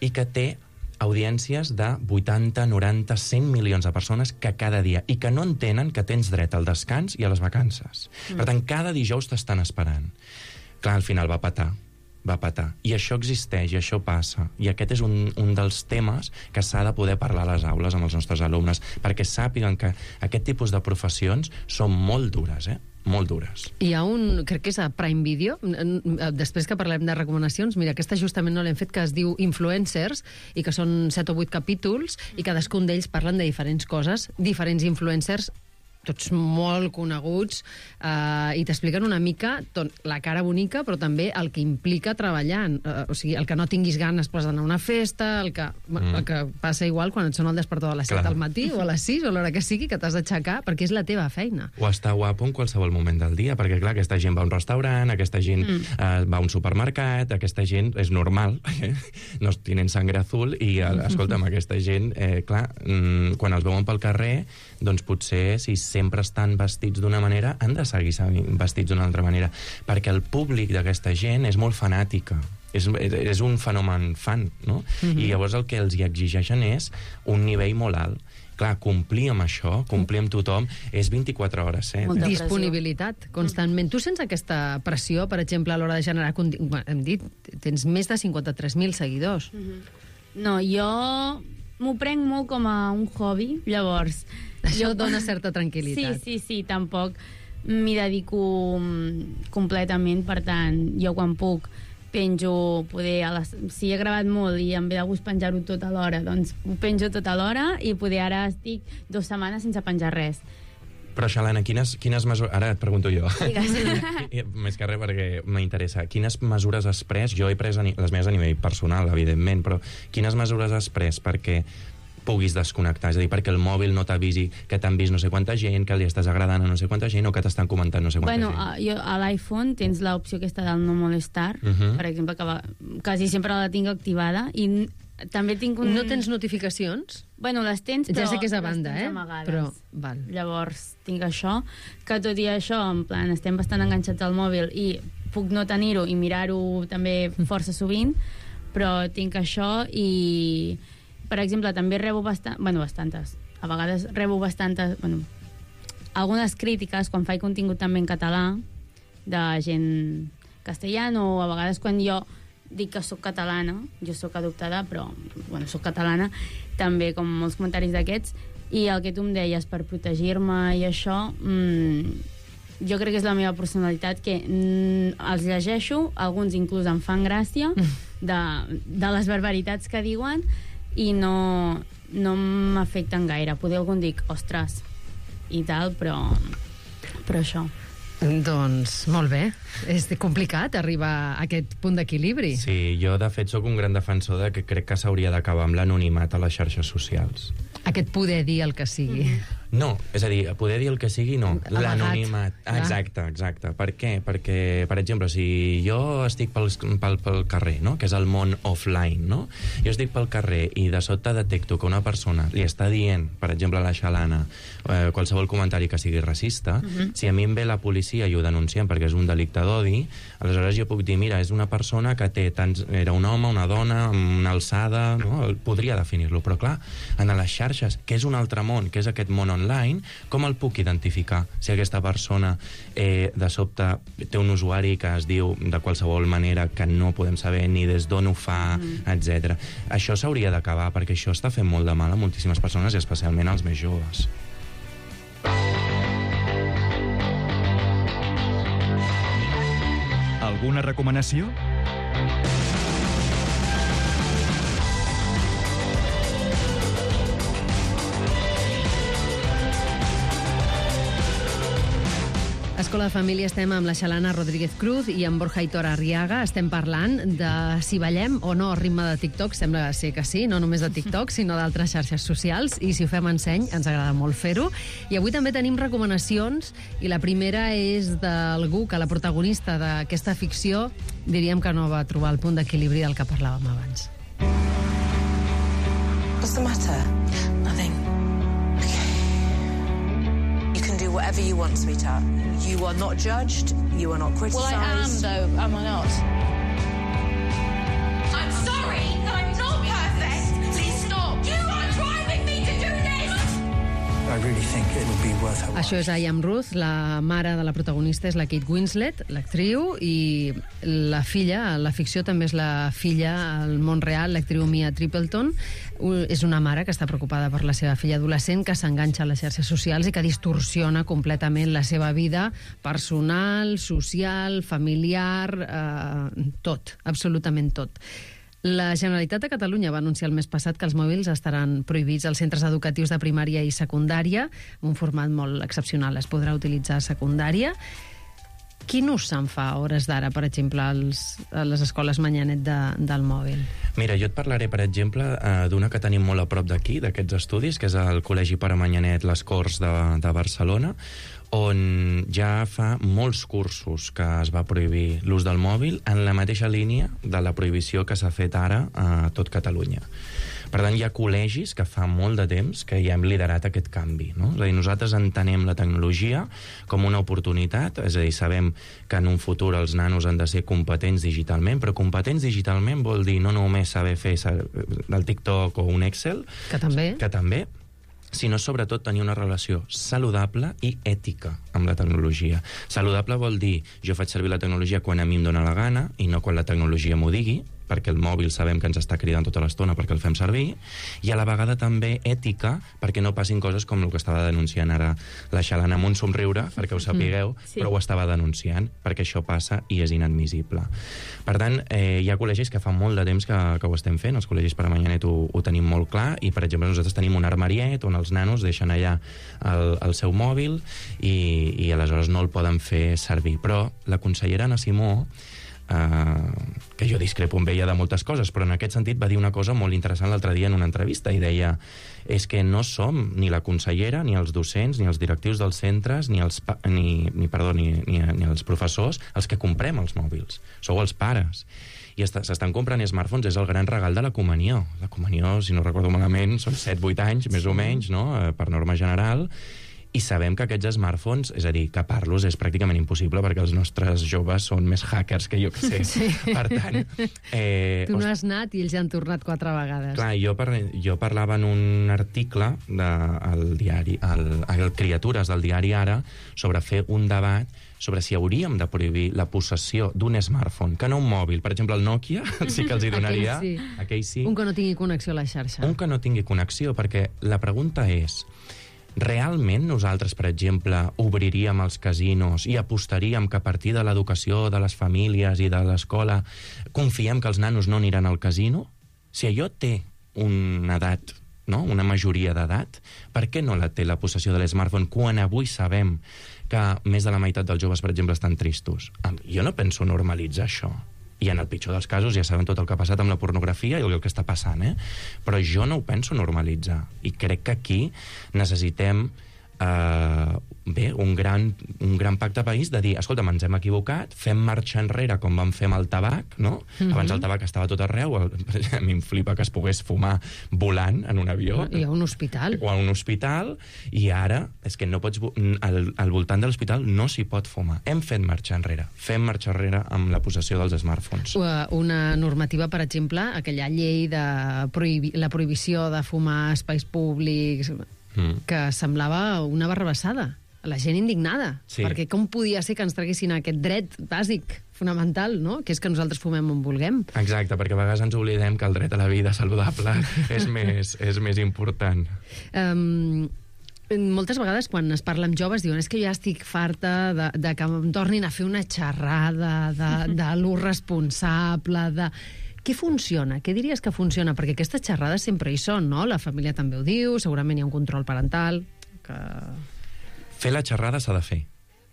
i que té audiències de 80, 90, 100 milions de persones que cada dia, i que no entenen que tens dret al descans i a les vacances. Per tant, cada dijous t'estan esperant. Clar, al final va petar. I això existeix, i això passa. I aquest és un dels temes que s'ha de poder parlar a les aules amb els nostres alumnes, perquè sàpiguen que aquest tipus de professions són molt dures, molt dures. Hi ha crec que és a Prime Video, després que parlem de recomanacions, mira, aquesta justament no l'hem fet, que es diu Influencers, i que són 7 o 8 capítols, i cadascun d'ells parlen de diferents coses, diferents influencers tots molt coneguts, i t'expliquen una mica la cara bonica, però també el que implica treballant. O sigui, el que no tinguis ganes d'anar a una festa, el que passa igual quan et sona el despertador a les 7 del matí o a les 6 o a l'hora que sigui, que t'has d'aixecar, perquè és la teva feina. O estar guapo en qualsevol moment del dia, perquè, clar, aquesta gent va a un restaurant, aquesta gent va a un supermercat, aquesta gent és normal, no tenen sangre azul, i, escolta'm, aquesta gent, clar, quan els veuen pel carrer, doncs potser, si sempre estan vestits d'una manera, han de seguir vestits d'una altra manera, perquè el públic d'aquesta gent és molt fanàtica. És un fenomen fan, no? I llavors el que els hi exigeixen és un nivell molt alt. Clar, complir amb això, complir amb tothom, és 24 hores, Disponibilitat, constantment. Tu sents aquesta pressió, per exemple, a l'hora de generar contingut? Hem dit, tens més de 53.000 seguidors. No, jo m'ho prenc molt com a un hobby, llavors... Això dona certa tranquil·litat. Sí, tampoc m'hi dedico completament, per tant, jo quan puc penjo, si he gravat molt i em ve de gust penjar-ho tot alhora, doncs ho penjo tot alhora, i poder ara estic 2 setmanes sense penjar res. Però, Xalana, quines mesures... Ara et pregunto jo. Digues. Més que res perquè m'interessa. Quines mesures has pres? Jo he pres les meves a nivell personal, evidentment, però quines mesures has pres perquè puguis desconnectar? És a dir, perquè el mòbil no t'avisi que t'han vist no sé quanta gent, que li estàs agradant a no sé quanta gent, o que t'estan comentant no sé quanta gent. Jo a l'iPhone tens l'opció aquesta del no molestar, per exemple, que quasi sempre la tinc activada, i també tinc un... No tens notificacions? Bueno, les tens, però... Ja sé que és a banda, amagades. Però, val. Llavors, tinc això, que tot i això, en plan, estem bastant enganxats al mòbil i puc no tenir-ho i mirar-ho també força sovint, però tinc això i... Per exemple, també rebo bastantes. A vegades rebo bastantes... algunes crítiques quan faig contingut també en català, de gent castellana, o a vegades quan jo dic que sóc catalana, jo sóc adoptada, però, sóc catalana, també com molts comentaris d'aquests, i el que tu em deies, per protegir-me i això, jo crec que és la meva personalitat, que els llegeixo, alguns inclús em fan gràcia, de les barbaritats que diuen, i no m'afecten gaire. Poder algun dic, ostres, i tal, però això. Doncs, molt bé. És complicat arribar a aquest punt d'equilibri. Sí, jo, de fet, sóc un gran defensor de que crec que s'hauria d'acabar amb l'anonimat a les xarxes socials. Aquest poder dir el que sigui. No, és a dir, poder dir el que sigui, no. L'anonimat. Exacte. Per què? Perquè, per exemple, si jo estic pel carrer, no?, que és el món offline, no? Jo estic pel carrer i de sobte detecto que una persona li està dient, per exemple, a la Xalana, qualsevol comentari que sigui racista, si a mi em ve la policia i ho denuncien perquè és un delicte d'odi, aleshores jo puc dir, mira, és una persona que té era un home, una dona, una alçada, no? Podria definir-lo, però clar, en les xarxes, que és un altre món, que és aquest món online, com el puc identificar si aquesta persona de sobte té un usuari que es diu de qualsevol manera que no podem saber ni des d'on ho fa, etc. Això s'hauria d'acabar, perquè això està fent molt de mal a moltíssimes persones i especialment als més joves. Alguna recomanació? Escola de Família estem amb la Xalana Rodríguez Cruz i amb Borja Aitor Arriaga. Estem parlant de si ballem o no al ritme de TikTok. Sembla ser que sí, no només de TikTok, sinó d'altres xarxes socials. I si ho fem en seny, ens agrada molt fer-ho. I avui també tenim recomanacions, i la primera és d'algú que la protagonista d'aquesta ficció diríem que no va trobar el punt d'equilibri del que parlàvem abans. What's the matter? Nothing. You can do whatever you want, sweetheart. You are not judged. You are not criticised. Well, I am, though, am I not? I'm sorry, I'm not perfect. Please stop. You are driving me to do this. I really think it would be worth her while. Això és I Am Ruth, la mare de la protagonista és la Kate Winslet, l'actriu, i la filla, la ficció també és la filla al món real, l'actriu Mia Tripleton. És una mare que està preocupada per la seva filla adolescent, que s'enganxa a les xarxes socials i que distorsiona completament la seva vida personal, social, familiar, tot, absolutament tot. La Generalitat de Catalunya va anunciar el mes passat que els mòbils estaran prohibits als centres educatius de primària i secundària, en un format molt excepcional. Es podrà utilitzar a secundària. Quin ús se'n fa a hores d'ara, per exemple, a les escoles Manyanet del mòbil? Mira, jo et parlaré, per exemple, d'una que tenim molt a prop d'aquí, d'aquests estudis, que és el Col·legi Pare Manyanet Les Corts de Barcelona, on ja fa molts cursos que es va prohibir l'ús del mòbil en la mateixa línia de la prohibició que s'ha fet ara a tot Catalunya. Per tant, hi ha col·legis que fa molt de temps que ja hem liderat aquest canvi, no? És a dir, nosaltres entenem la tecnologia com una oportunitat, és a dir, sabem que en un futur els nanos han de ser competents digitalment, però competents digitalment vol dir no només saber fer el TikTok o un Excel, que també, sinó sobretot tenir una relació saludable i ètica amb la tecnologia. Saludable vol dir jo faig servir la tecnologia quan a mi em dóna la gana i no quan la tecnologia m'ho digui, perquè el mòbil sabem que ens està cridant tota l'estona perquè el fem servir, i a la vegada també ètica perquè no passin coses com el que estava denunciant ara la Xalana amb un somriure, perquè ho sapigueu, però ho estava denunciant, perquè això passa i és inadmissible. Per tant, hi ha col·legis que fa molt de temps que ho estem fent, els col·legis per a Manyanet ho tenim molt clar, i per exemple nosaltres tenim un armariet on els nanos deixen allà el seu mòbil i aleshores no el poden fer servir. Però la consellera Anna Simó, que jo discrepo amb ella de moltes coses, però en aquest sentit va dir una cosa molt interessant l'altre dia en una entrevista, i deia, és que no som ni la consellera, ni els docents, ni els directius dels centres, ni els professors els que comprem els mòbils, sou els pares. I s'estan comprant smartphones, és el gran regal de la comunió. La comunió, si no recordo malament, són 7-8 anys, més o menys, no? Per norma general. I sabem que aquests smartphones, és a dir, capar-los és pràcticament impossible perquè els nostres joves són més hackers que jo que sé. Sí. Per tant... tu no has anat i ells ja han tornat 4 vegades. Clar, jo parlava en un article al diari, al Criatures del diari Ara, sobre fer un debat sobre si hauríem de prohibir la possessió d'un smartphone, que no un mòbil. Per exemple, el Nokia sí que els hi donaria... Aquell sí. Un que no tingui connexió a la xarxa. Un que no tingui connexió, perquè la pregunta és... Realment nosaltres, per exemple, obriríem els casinos i apostaríem que a partir de l'educació de les famílies i de l'escola confiem que els nanos no aniran al casino? Si allò té una edat, no? Una majoria d'edat, per què no la té la possessió de l'smartphone quan avui sabem que més de la meitat dels joves, per exemple, estan tristos? Jo no penso normalitzar això. I en el pitjor dels casos ja sabem tot el que ha passat amb la pornografia i el que està passant, però jo no ho penso normalitzar. I crec que aquí necessitem un gran pacte país de dir, escolta'm, ens hem equivocat, fem marxa enrere com vam fer amb el tabac, no? Abans el tabac estava tot arreu, a mi em flipa que es pogués fumar volant en un avió. I a un hospital. O a un hospital, i ara és que no pots... Al voltant de l'hospital no s'hi pot fumar. Hem fet marxa enrere. Fem marxa enrere amb la possessió dels smartphones. Una normativa, per exemple, aquella llei de la prohibició de fumar a espais públics... que semblava una barrabassada. La gent indignada. Sí. Perquè com podia ser que ens traguessin aquest dret bàsic, fonamental, no? Que és que nosaltres fumem on vulguem. Exacte, perquè a vegades ens oblidem que el dret a la vida saludable és més important. Moltes vegades, quan es parla amb joves, diuen és que jo ja estic farta de que em tornin a fer una xerrada de lo responsable, de... Què funciona? Què diries que funciona? Perquè aquestes xerrades sempre hi són, no? La família també ho diu, segurament hi ha un control parental... Fer la xerrada s'ha de fer.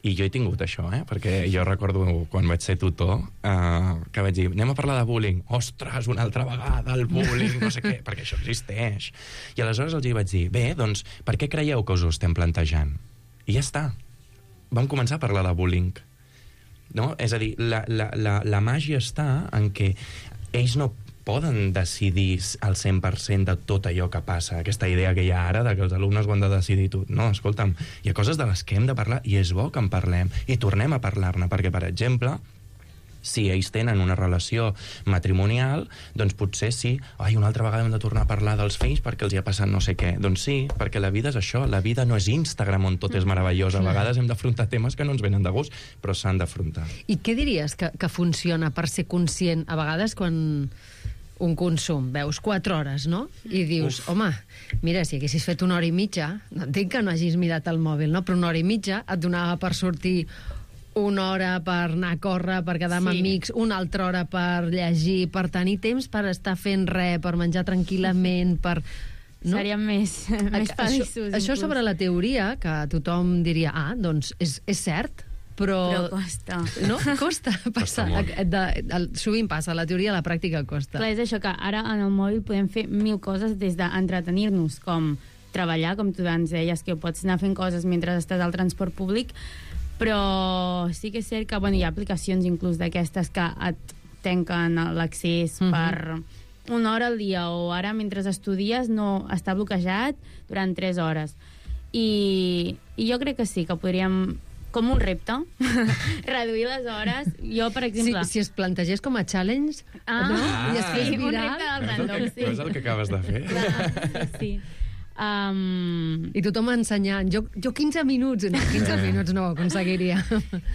I jo he tingut això, perquè jo recordo quan vaig ser tutor que vaig dir, anem a parlar de bullying. Ostres, una altra vegada, el bullying, no sé què, perquè això existeix. I aleshores els hi vaig dir, bé, doncs, per què creieu que us ho estem plantejant? I ja està. Vam començar a parlar de bullying. No? És a dir, la màgia està en què ells no poden decidir al 100% de tot allò que passa. Aquesta idea que hi ha ara de que els alumnes ho han de decidir tot. No, escolta'm, hi ha coses de les que hem de parlar i és bo que en parlem i tornem a parlar-ne, perquè, per exemple, si ells tenen una relació matrimonial, doncs potser sí, una altra vegada hem de tornar a parlar dels fills perquè els hi ha passat no sé què. Doncs sí, perquè la vida és això, la vida no és Instagram on tot és meravellós. A vegades hem d'afrontar temes que no ens venen de gust, però s'han d'afrontar. I què diries que funciona per ser conscient? A vegades quan un consum, veus 4 hores, no? I dius, home, mira, si haguessis fet 1 hora i mitja, no entenc que no hagis mirat el mòbil, no? Però 1 hora i mitja et donava per sortir Una hora per anar a córrer, per quedar amb amics, una altra hora per llegir, per tenir temps per estar fent res, per menjar tranquil·lament, per... No? Seríem més feliços. Això sobre la teoria, que tothom diria, doncs és cert, però costa. No? Costa passar. Sovint passa, la teoria a la pràctica costa. Clar, és això, que ara en el mòbil podem fer 1000 coses, des d'entretenir-nos, com treballar, com tu ens deies, que pots anar fent coses mentre estàs al transport públic, però sí que és cert que hi ha aplicacions inclús d'aquestes que et tanquen l'accés per una hora al dia, o ara mentre estudies no està bloquejat durant 3 hores. I jo crec que sí, que podríem, com un repte, reduir les hores. Jo, per exemple... Si es plantegés com a challenge, no? I es fes viral... Un repte del random, sí. És el que acabes de fer. Clar, sí. I tothom ensenyant, jo 15 minuts, no, 15 minuts no ho aconseguiria.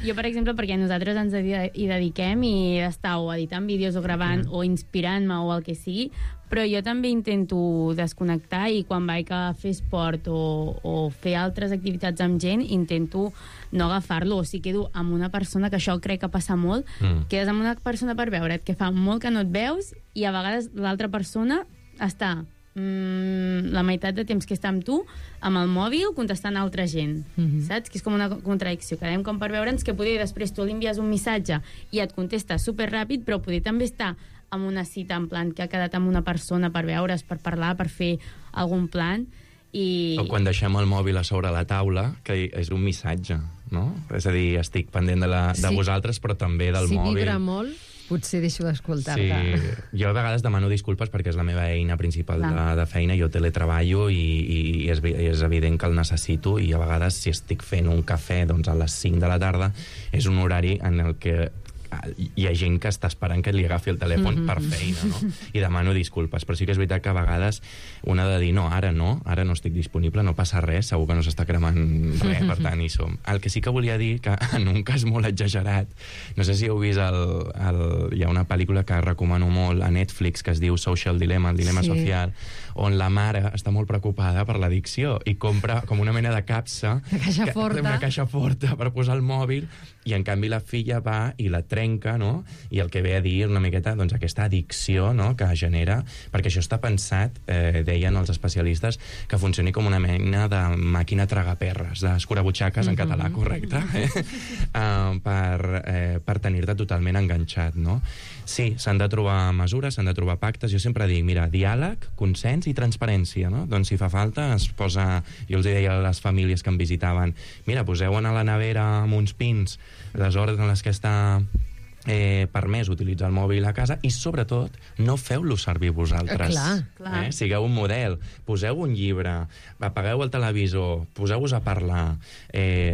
Jo, per exemple, perquè nosaltres ens hi dediquem i estar o editant vídeos o gravant o inspirant-me o el que sigui, però jo també intento desconnectar, i quan vaig a fer esport o fer altres activitats amb gent, intento no agafar-lo, o si quedo amb una persona, que això crec que passa molt, quedes amb una persona per veure't, que fa molt que no et veus, i a vegades l'altra persona està la meitat de temps que està amb tu amb el mòbil contestant a altra gent, saps? Que és com una contradicció. Quedem com per veure'ns, que poder després tu li envies un missatge i et contesta superràpid, però poder també estar amb una cita en plan que ha quedat amb una persona per veure's, per parlar, per fer algun plan. O quan deixem el mòbil a sobre la taula, que és un missatge, no? És a dir, estic pendent de vosaltres, però també del mòbil. Si vibra molt, potser deixo d'escoltar-te. Sí, jo a vegades demano disculpes perquè és la meva eina principal de feina, jo teletreballo i és evident que el necessito, i a vegades si estic fent un cafè doncs a les 5 de la tarda és un horari en el que hi ha gent que està esperant que li agafi el telèfon per feina, no? I demano disculpes, però sí que és veritat que a vegades un ha de dir, no, ara no estic disponible, no passa res, segur que no s'està cremant res, per tant hi som. El que sí que volia dir, que en un cas molt exagerat, no sé si heu vist hi ha una pel·lícula que recomano molt a Netflix que es diu Social Dilemma, el dilema social, on la mare està molt preocupada per l'addicció i compra com una mena de capsa, una caixa forta per posar el mòbil, i en canvi la filla va i la trenca, no? I el que ve a dir una miqueta, doncs, aquesta addicció, no?, que genera, perquè això està pensat, deien els especialistes, que funcioni com una mena de màquina tragaperres, d'escurabutxaques en català, correcte? Per tenir-te totalment enganxat, no? Sí, s'han de trobar mesures, s'han de trobar pactes. Jo sempre dic, mira, diàleg, consens i transparència, no? Doncs si fa falta es posa... Jo els deia a les famílies que em visitaven, mira, poseu a la nevera amb uns pins les hores en les que està permès utilitzar el mòbil a casa, i sobretot no feu-lo servir vosaltres. Clar. Sigueu un model, poseu un llibre, apagueu el televisor, poseu-vos a parlar,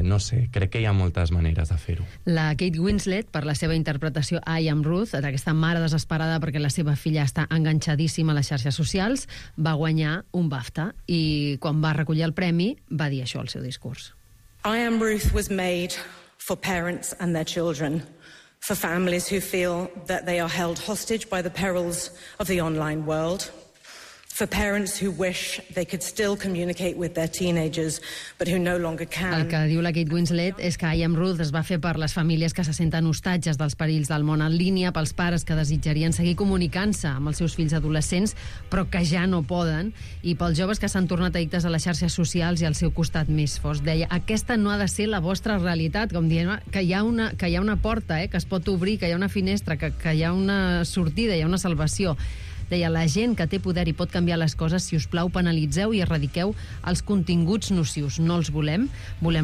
no sé, crec que hi ha moltes maneres de fer-ho. La Kate Winslet, per la seva interpretació a I Am Ruth, d'aquesta mare desesperada perquè la seva filla està enganxadíssima a les xarxes socials, va guanyar un BAFTA, i quan va recollir el premi va dir això al seu discurs. I Am Ruth was made for parents and their children, for families who feel that they are held hostage by the perils of the online world, for parents who wish they could still communicate with their teenagers, but who no longer can. El que diu la Kate Winslet és que I Am Ruth es va fer per les famílies que se senten hostatges dels perills del món en línia, pels pares que desitjarien seguir comunicant-se amb els seus fills adolescents, però que ja no poden, i pels joves que s'han tornat addictes a les xarxes socials i al seu costat més fosc. Deia, aquesta no ha de ser la vostra realitat, com dient que hi ha una porta, que es pot obrir, que hi ha una finestra, que hi ha una sortida, hi ha una salvació. Deia, la gent que té poder i pot canviar les coses, si us plau, penalitzeu i erradiqueu els continguts nocius. No els volem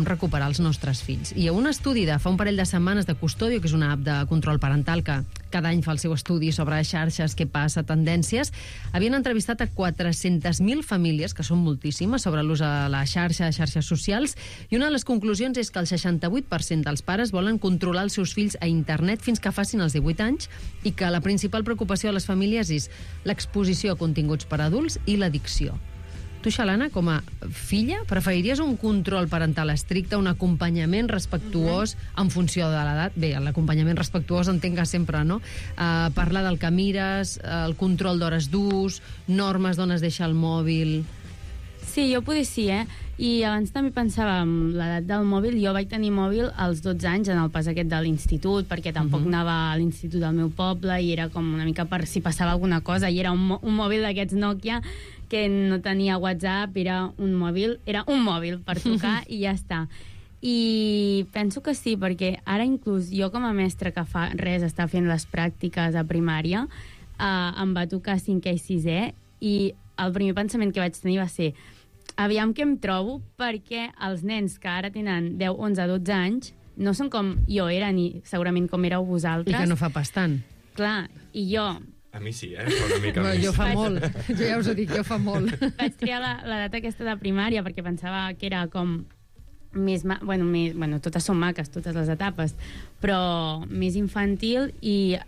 recuperar els nostres fills. I un estudi de fa un parell de setmanes de Custodio, que és una app de control parental que cada any fa el seu estudi sobre xarxes, què passa, tendències, havien entrevistat a 400.000 famílies, que són moltíssimes, sobre l'ús a la xarxa, xarxes socials, i una de les conclusions és que el 68% dels pares volen controlar els seus fills a internet fins que facin els 18 anys, i que la principal preocupació de les famílies és l'exposició a continguts per adults i l'addicció. Tu, Xalana, com a filla, preferiries un control parental estricte, un acompanyament respectuós en funció de l'edat? Bé, l'acompanyament respectuós entenc que sempre, no? Parlar del que mires, el control d'hores d'ús, normes d'on es deixa el mòbil... Sí, jo poder sí, I abans també pensava en l'edat del mòbil. Jo vaig tenir mòbil als 12 anys en el pas aquest de l'institut, perquè tampoc anava a l'institut del meu poble i era com una mica per si passava alguna cosa, i era un mòbil d'aquests Nokia que no tenia WhatsApp, era un mòbil per trucar i ja està. I penso que sí, perquè ara inclús jo com a mestra que fa res està fent les pràctiques a primària, em va tocar 5è i 6è, i el primer pensament que vaig tenir va ser aviam què em trobo, perquè els nens que ara tenen 10, 11, 12 anys no són com jo era, ni segurament com éreu vosaltres. I que no fa pas tant. Clar, i jo... A mi sí, fa una mica més. Jo fa molt, jo ja us ho dic, jo fa molt. Vaig triar l'edat aquesta de primària perquè pensava que era com més... Bueno, totes són maques, totes les etapes, però més infantil, i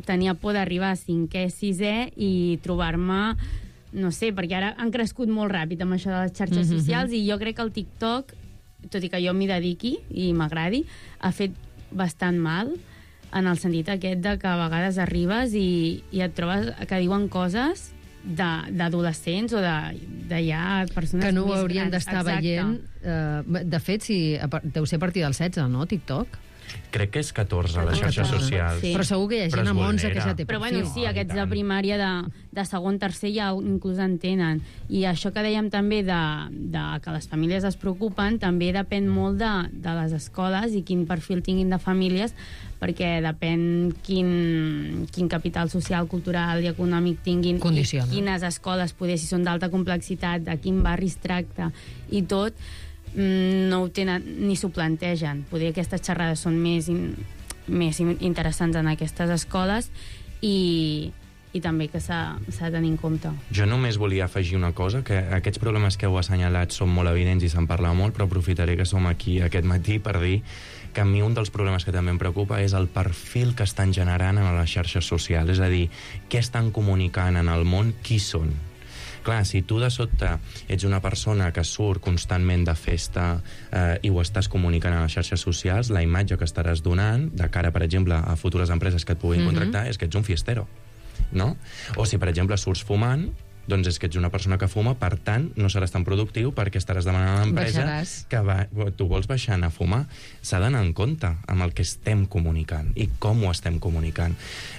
tenia por d'arribar a 5è, 6è i trobar-me, no sé, perquè ara han crescut molt ràpid amb això de les xarxes socials, i jo crec que el TikTok, tot i que jo m'hi dediqui i m'agradi, ha fet bastant mal, en el sentit aquest de que a vegades arribes i et trobes que diuen coses d'adolescents o de ja persones que no ho més haurien grans. d'estar veient. De fet, deu ser a partir del 16, no, TikTok? Crec que és 14 a les xarxes socials. Sí. Però segur que hi ha gent amb 11 que ja té perfil. Però bueno, sí, aquests de primària, de segon, tercer, ja inclús en tenen. I això que dèiem també de que les famílies es preocupen, també depèn molt de les escoles i quin perfil tinguin de famílies, perquè depèn quin capital social, cultural i econòmic tinguin, condiciona. I quines escoles, poder, si són d'alta complexitat, de quin barri es tracta i tot, no ho tenen ni s'ho plantegen. Poder aquestes xerrades són més interessants en aquestes escoles, i també que s'ha de tenir en compte. Jo només volia afegir una cosa, que aquests problemes que heu assenyalat són molt evidents i se'n parla molt, però aprofitaré que som aquí aquest matí per dir que a mi un dels problemes que també em preocupa és el perfil que estan generant en les xarxes socials, és a dir, què estan comunicant en el món, qui són. Clar, si tu de sobte ets una persona que surt constantment de festa i ho estàs comunicant a les xarxes socials, la imatge que estaràs donant de cara, per exemple, a futures empreses que et puguin contractar és que ets un fiestero, no? O si, per exemple, surts fumant, doncs és que ets una persona que fuma, per tant, no seràs tan productiu perquè estaràs demanant a l'empresa que tu vols baixar a fumar. S'ha d'anar en compte amb el que estem comunicant i com ho estem comunicant.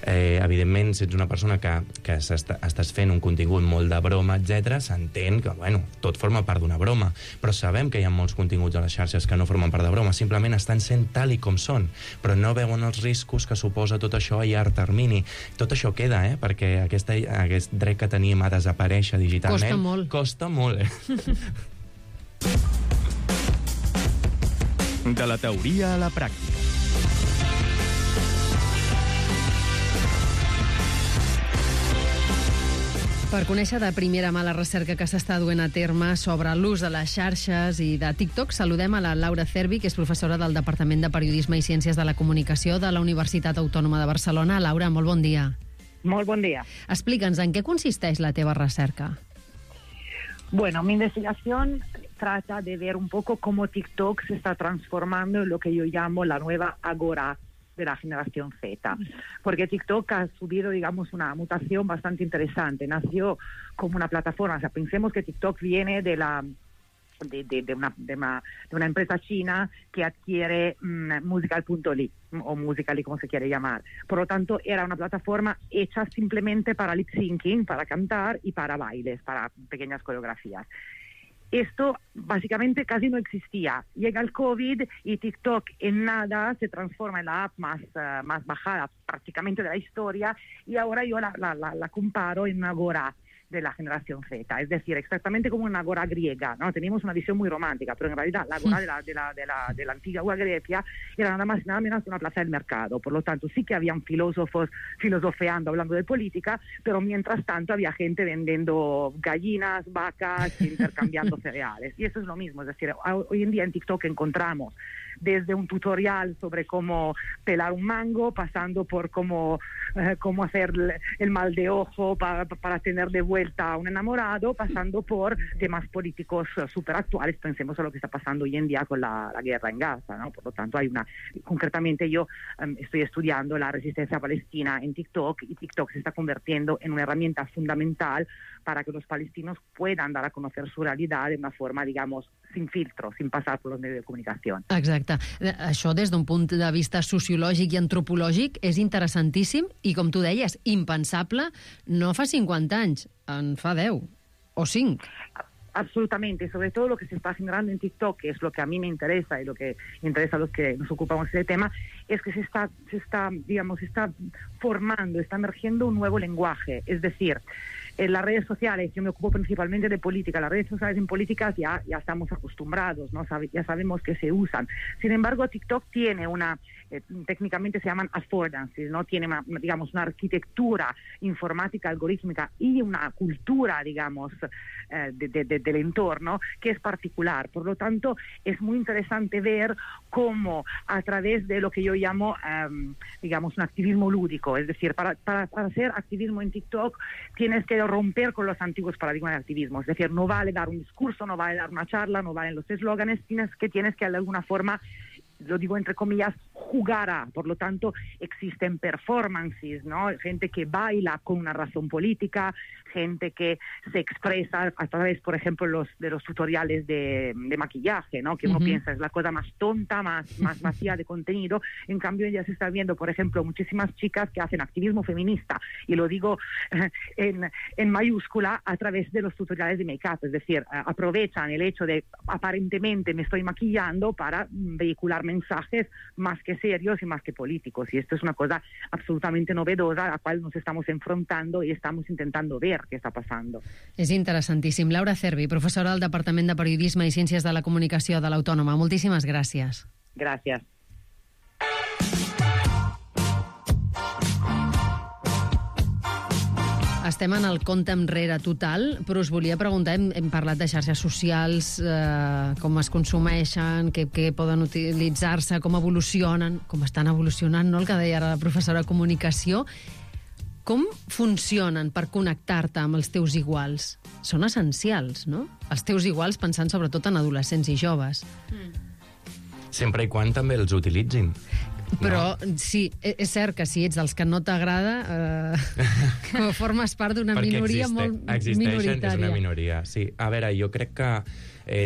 Evidentment, si ets una persona que estàs fent un contingut molt de broma, etc., s'entén que, bueno, tot forma part d'una broma, però sabem que hi ha molts continguts a les xarxes que no formen part de broma, simplement estan sent tal i com són, però no veuen els riscos que suposa tot això a llarg termini. Tot això queda, perquè aquest dret que tenim a desaparèixer digitalment costa molt. De la teoria a la pràctica. Per conèixer de primera mà la recerca que s'està duent a terme sobre l'ús de les xarxes i de TikTok, saludem a la Laura Cervi, que és professora del Departament de Periodisme i Ciències de la Comunicació de la Universitat Autònoma de Barcelona. Laura, molt bon dia. Molt bon dia. Explica'ns, en què consisteix la teva recerca? Bueno, mi investigación trata de ver un poco cómo TikTok se está transformando en lo que yo llamo la nueva agora de la generación Z. Porque TikTok ha subido, digamos, una mutación bastante interesante. Nació como una plataforma. O sea, pensemos que TikTok viene de una empresa china que adquiere Musical.ly o Musical.ly, como se quiere llamar. Por lo tanto, era una plataforma hecha simplemente para lip syncing, para cantar y para bailes, para pequeñas coreografías. Esto básicamente casi no existía. Llega el COVID y TikTok en nada se transforma en la app más bajada prácticamente de la historia, y ahora yo la comparo en una agora de la generación Z, es decir, exactamente como una agora griega, ¿no? Teníamos una visión muy romántica, pero en realidad la agora de la antigua Grecia era nada más y nada menos una plaza del mercado. Por lo tanto, sí que habían filósofos filosofeando, hablando de política, pero mientras tanto había gente vendiendo gallinas, vacas, intercambiando cereales. Y eso es lo mismo, es decir, hoy en día en TikTok encontramos desde un tutorial sobre cómo pelar un mango, pasando por cómo hacer el mal de ojo para tener de vuelta a un enamorado, pasando por temas políticos súper actuales. Pensemos en lo que está pasando hoy en día con la guerra en Gaza, ¿no? Por lo tanto, concretamente yo estoy estudiando la resistencia palestina en TikTok, y TikTok se está convirtiendo en una herramienta fundamental para que los palestinos puedan dar a conocer su realidad de una forma, digamos, sin filtro, sin pasar por los medios de comunicación. Exacte. Això, des d'un punt de vista sociològic i antropològic, és interessantíssim i, com tu deies, impensable no fa 50 anys, en fa 10 o 5. Absolutamente, sobre todo lo que se está generando en TikTok, que es lo que a mí me interesa y lo que interesa a los que nos ocupamos de ese tema, es que se está formando, está emergiendo un nuevo lenguaje. Es decir, en las redes sociales, yo me ocupo principalmente de política, las redes sociales en políticas ya estamos acostumbrados, ¿no? Ya sabemos que se usan. Sin embargo, TikTok tiene técnicamente se llaman affordances, ¿no? Tiene una arquitectura informática, algorítmica y una cultura, digamos, del entorno que es particular. Por lo tanto, es muy interesante ver cómo a través de lo que yo llamo, un activismo lúdico, es decir, para hacer activismo en TikTok tienes que romper con los antiguos paradigmas de activismo. Es decir, no vale dar un discurso, no vale dar una charla, no valen los eslóganes, tienes que de alguna forma, lo digo entre comillas, jugar a. Por lo tanto, existen performances, ¿no? Gente que baila con una razón política, gente que se expresa a través, por ejemplo, de los tutoriales de maquillaje, ¿no? Que uno piensa es la cosa más tonta, más vacía de contenido. En cambio, ya se está viendo, por ejemplo, muchísimas chicas que hacen activismo feminista, y lo digo en mayúscula, a través de los tutoriales de make-up. Es decir, aprovechan el hecho de aparentemente me estoy maquillando para vehicular mensajes más que serios y más que políticos. Y esto es una cosa absolutamente novedosa a la cual nos estamos enfrentando y estamos intentando ver què està passant. És interessantíssim. Laura Cervi, professora del Departament de Periodisme i Ciències de la Comunicació de l'Autònoma. Moltíssimes gràcies. Gràcies. Estem en el compte enrere total, però us volia preguntar, hem parlat de xarxes socials, com es consumeixen, què poden utilitzar-se, com evolucionen, com estan evolucionant, no? El que deia ara la professora de Comunicació. Com funcionen per connectar-te amb els teus iguals? Són essencials, no? Els teus iguals, pensant sobretot en adolescents i joves. Sempre i quan també els utilitzin. Però sí, és cert que si ets dels que no t'agrada, formes part d'una minoria molt minoritària. Existeixen, és una minoria, sí. A veure, jo crec que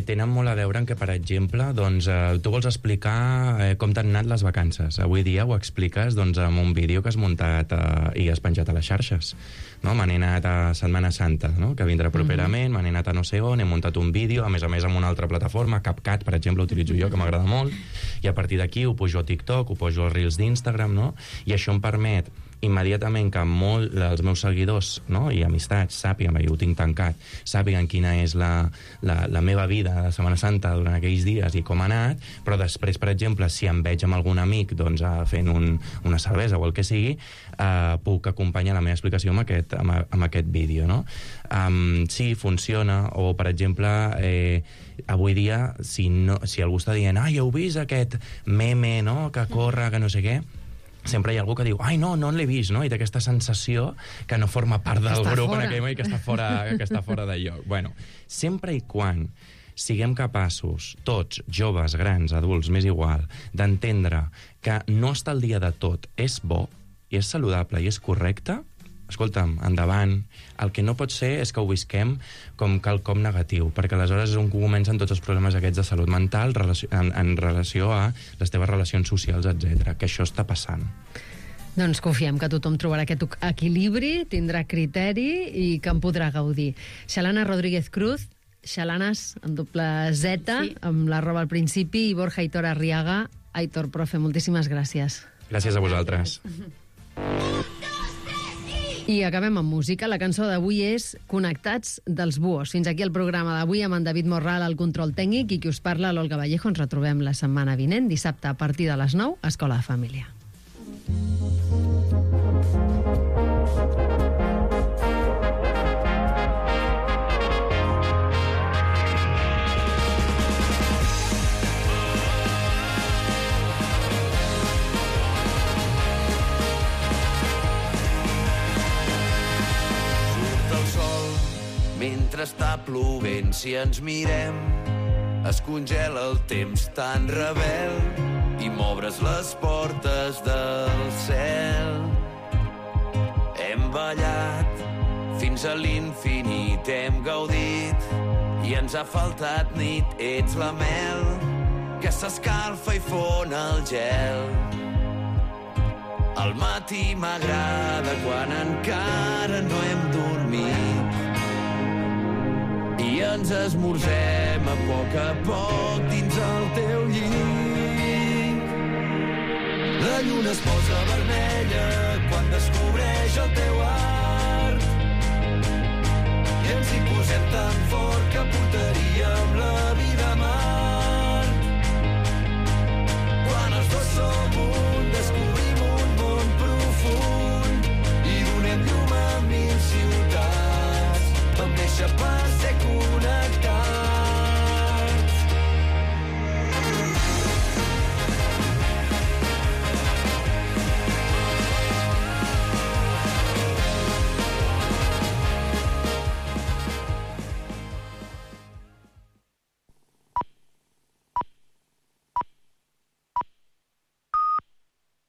tenen molt a veure en que, per exemple, doncs, tu vols explicar com t'han anat les vacances. Avui dia ho expliques amb un vídeo que has muntat i has penjat a les xarxes. No? Me n'he anat a Setmana Santa, no? Que vindrà properament, me n'he anat a no sé on, he muntat un vídeo, a més amb una altra plataforma, CapCut, per exemple, utilitzo jo, que m'agrada molt, i a partir d'aquí ho pujo a TikTok, ho pujo als Reels d'Instagram, no? I això em permet immediatament que molts dels meus seguidors, no? I amistats sàpiguen, perquè ho tinc tancat, sàpiguen quina és la meva vida de Setmana Santa durant aquells dies i com ha anat, però després, per exemple, si em veig amb algun amic fent una cervesa o el que sigui, puc acompanyar la meva explicació amb aquest vídeo, no? Sí, funciona, o per exemple, avui dia, si algú està dient heu vist aquest meme, no?, que corre, que no sé què, sempre hi ha algú que diu, no l'he vist, no? I té aquesta sensació que no forma part del grup en aquell moment, que està fora de lloc. Bueno, sempre i quan siguem capaços, tots, joves, grans, adults, m'és igual, d'entendre que no estar al dia de tot és bo, i és saludable, i és correcte, escolta'm, endavant. El que no pot ser és que ho visquem com quelcom negatiu, perquè aleshores és on comencen tots els problemes aquests de salut mental en relació a les teves relacions socials, etc. Que això està passant. Doncs confiem que tothom trobarà aquest equilibri, tindrà criteri i que en podrà gaudir. Xalana Rodríguez Cruz, Xalanes, amb doble Z, amb l'arroba al principi, i Borja Aitor Arriaga. Aitor, profe, moltíssimes gràcies. Gràcies a vosaltres. I acabem amb música. La cançó d'avui és Connectats dels Buos. Fins aquí el programa d'avui amb en David Morral al control tècnic i qui us parla, l'Olga Vallejo. Ens retrobem la setmana vinent, dissabte a partir de les 9, a Escola de Família. Mentre està plovent, si ens mirem, es congela el temps tan rebel i m'obres les portes del cel. Hem ballat fins a l'infinit, hem gaudit i i ens ha faltat nit. Ets la mel que s'escalfa i fon el gel. Al matí m'agrada quan encara no hem dormit i ens esmorzem a poc dins el teu llit. La lluna es posa vermella quan descobreix el teu art i ens hi posem tan fort que portarem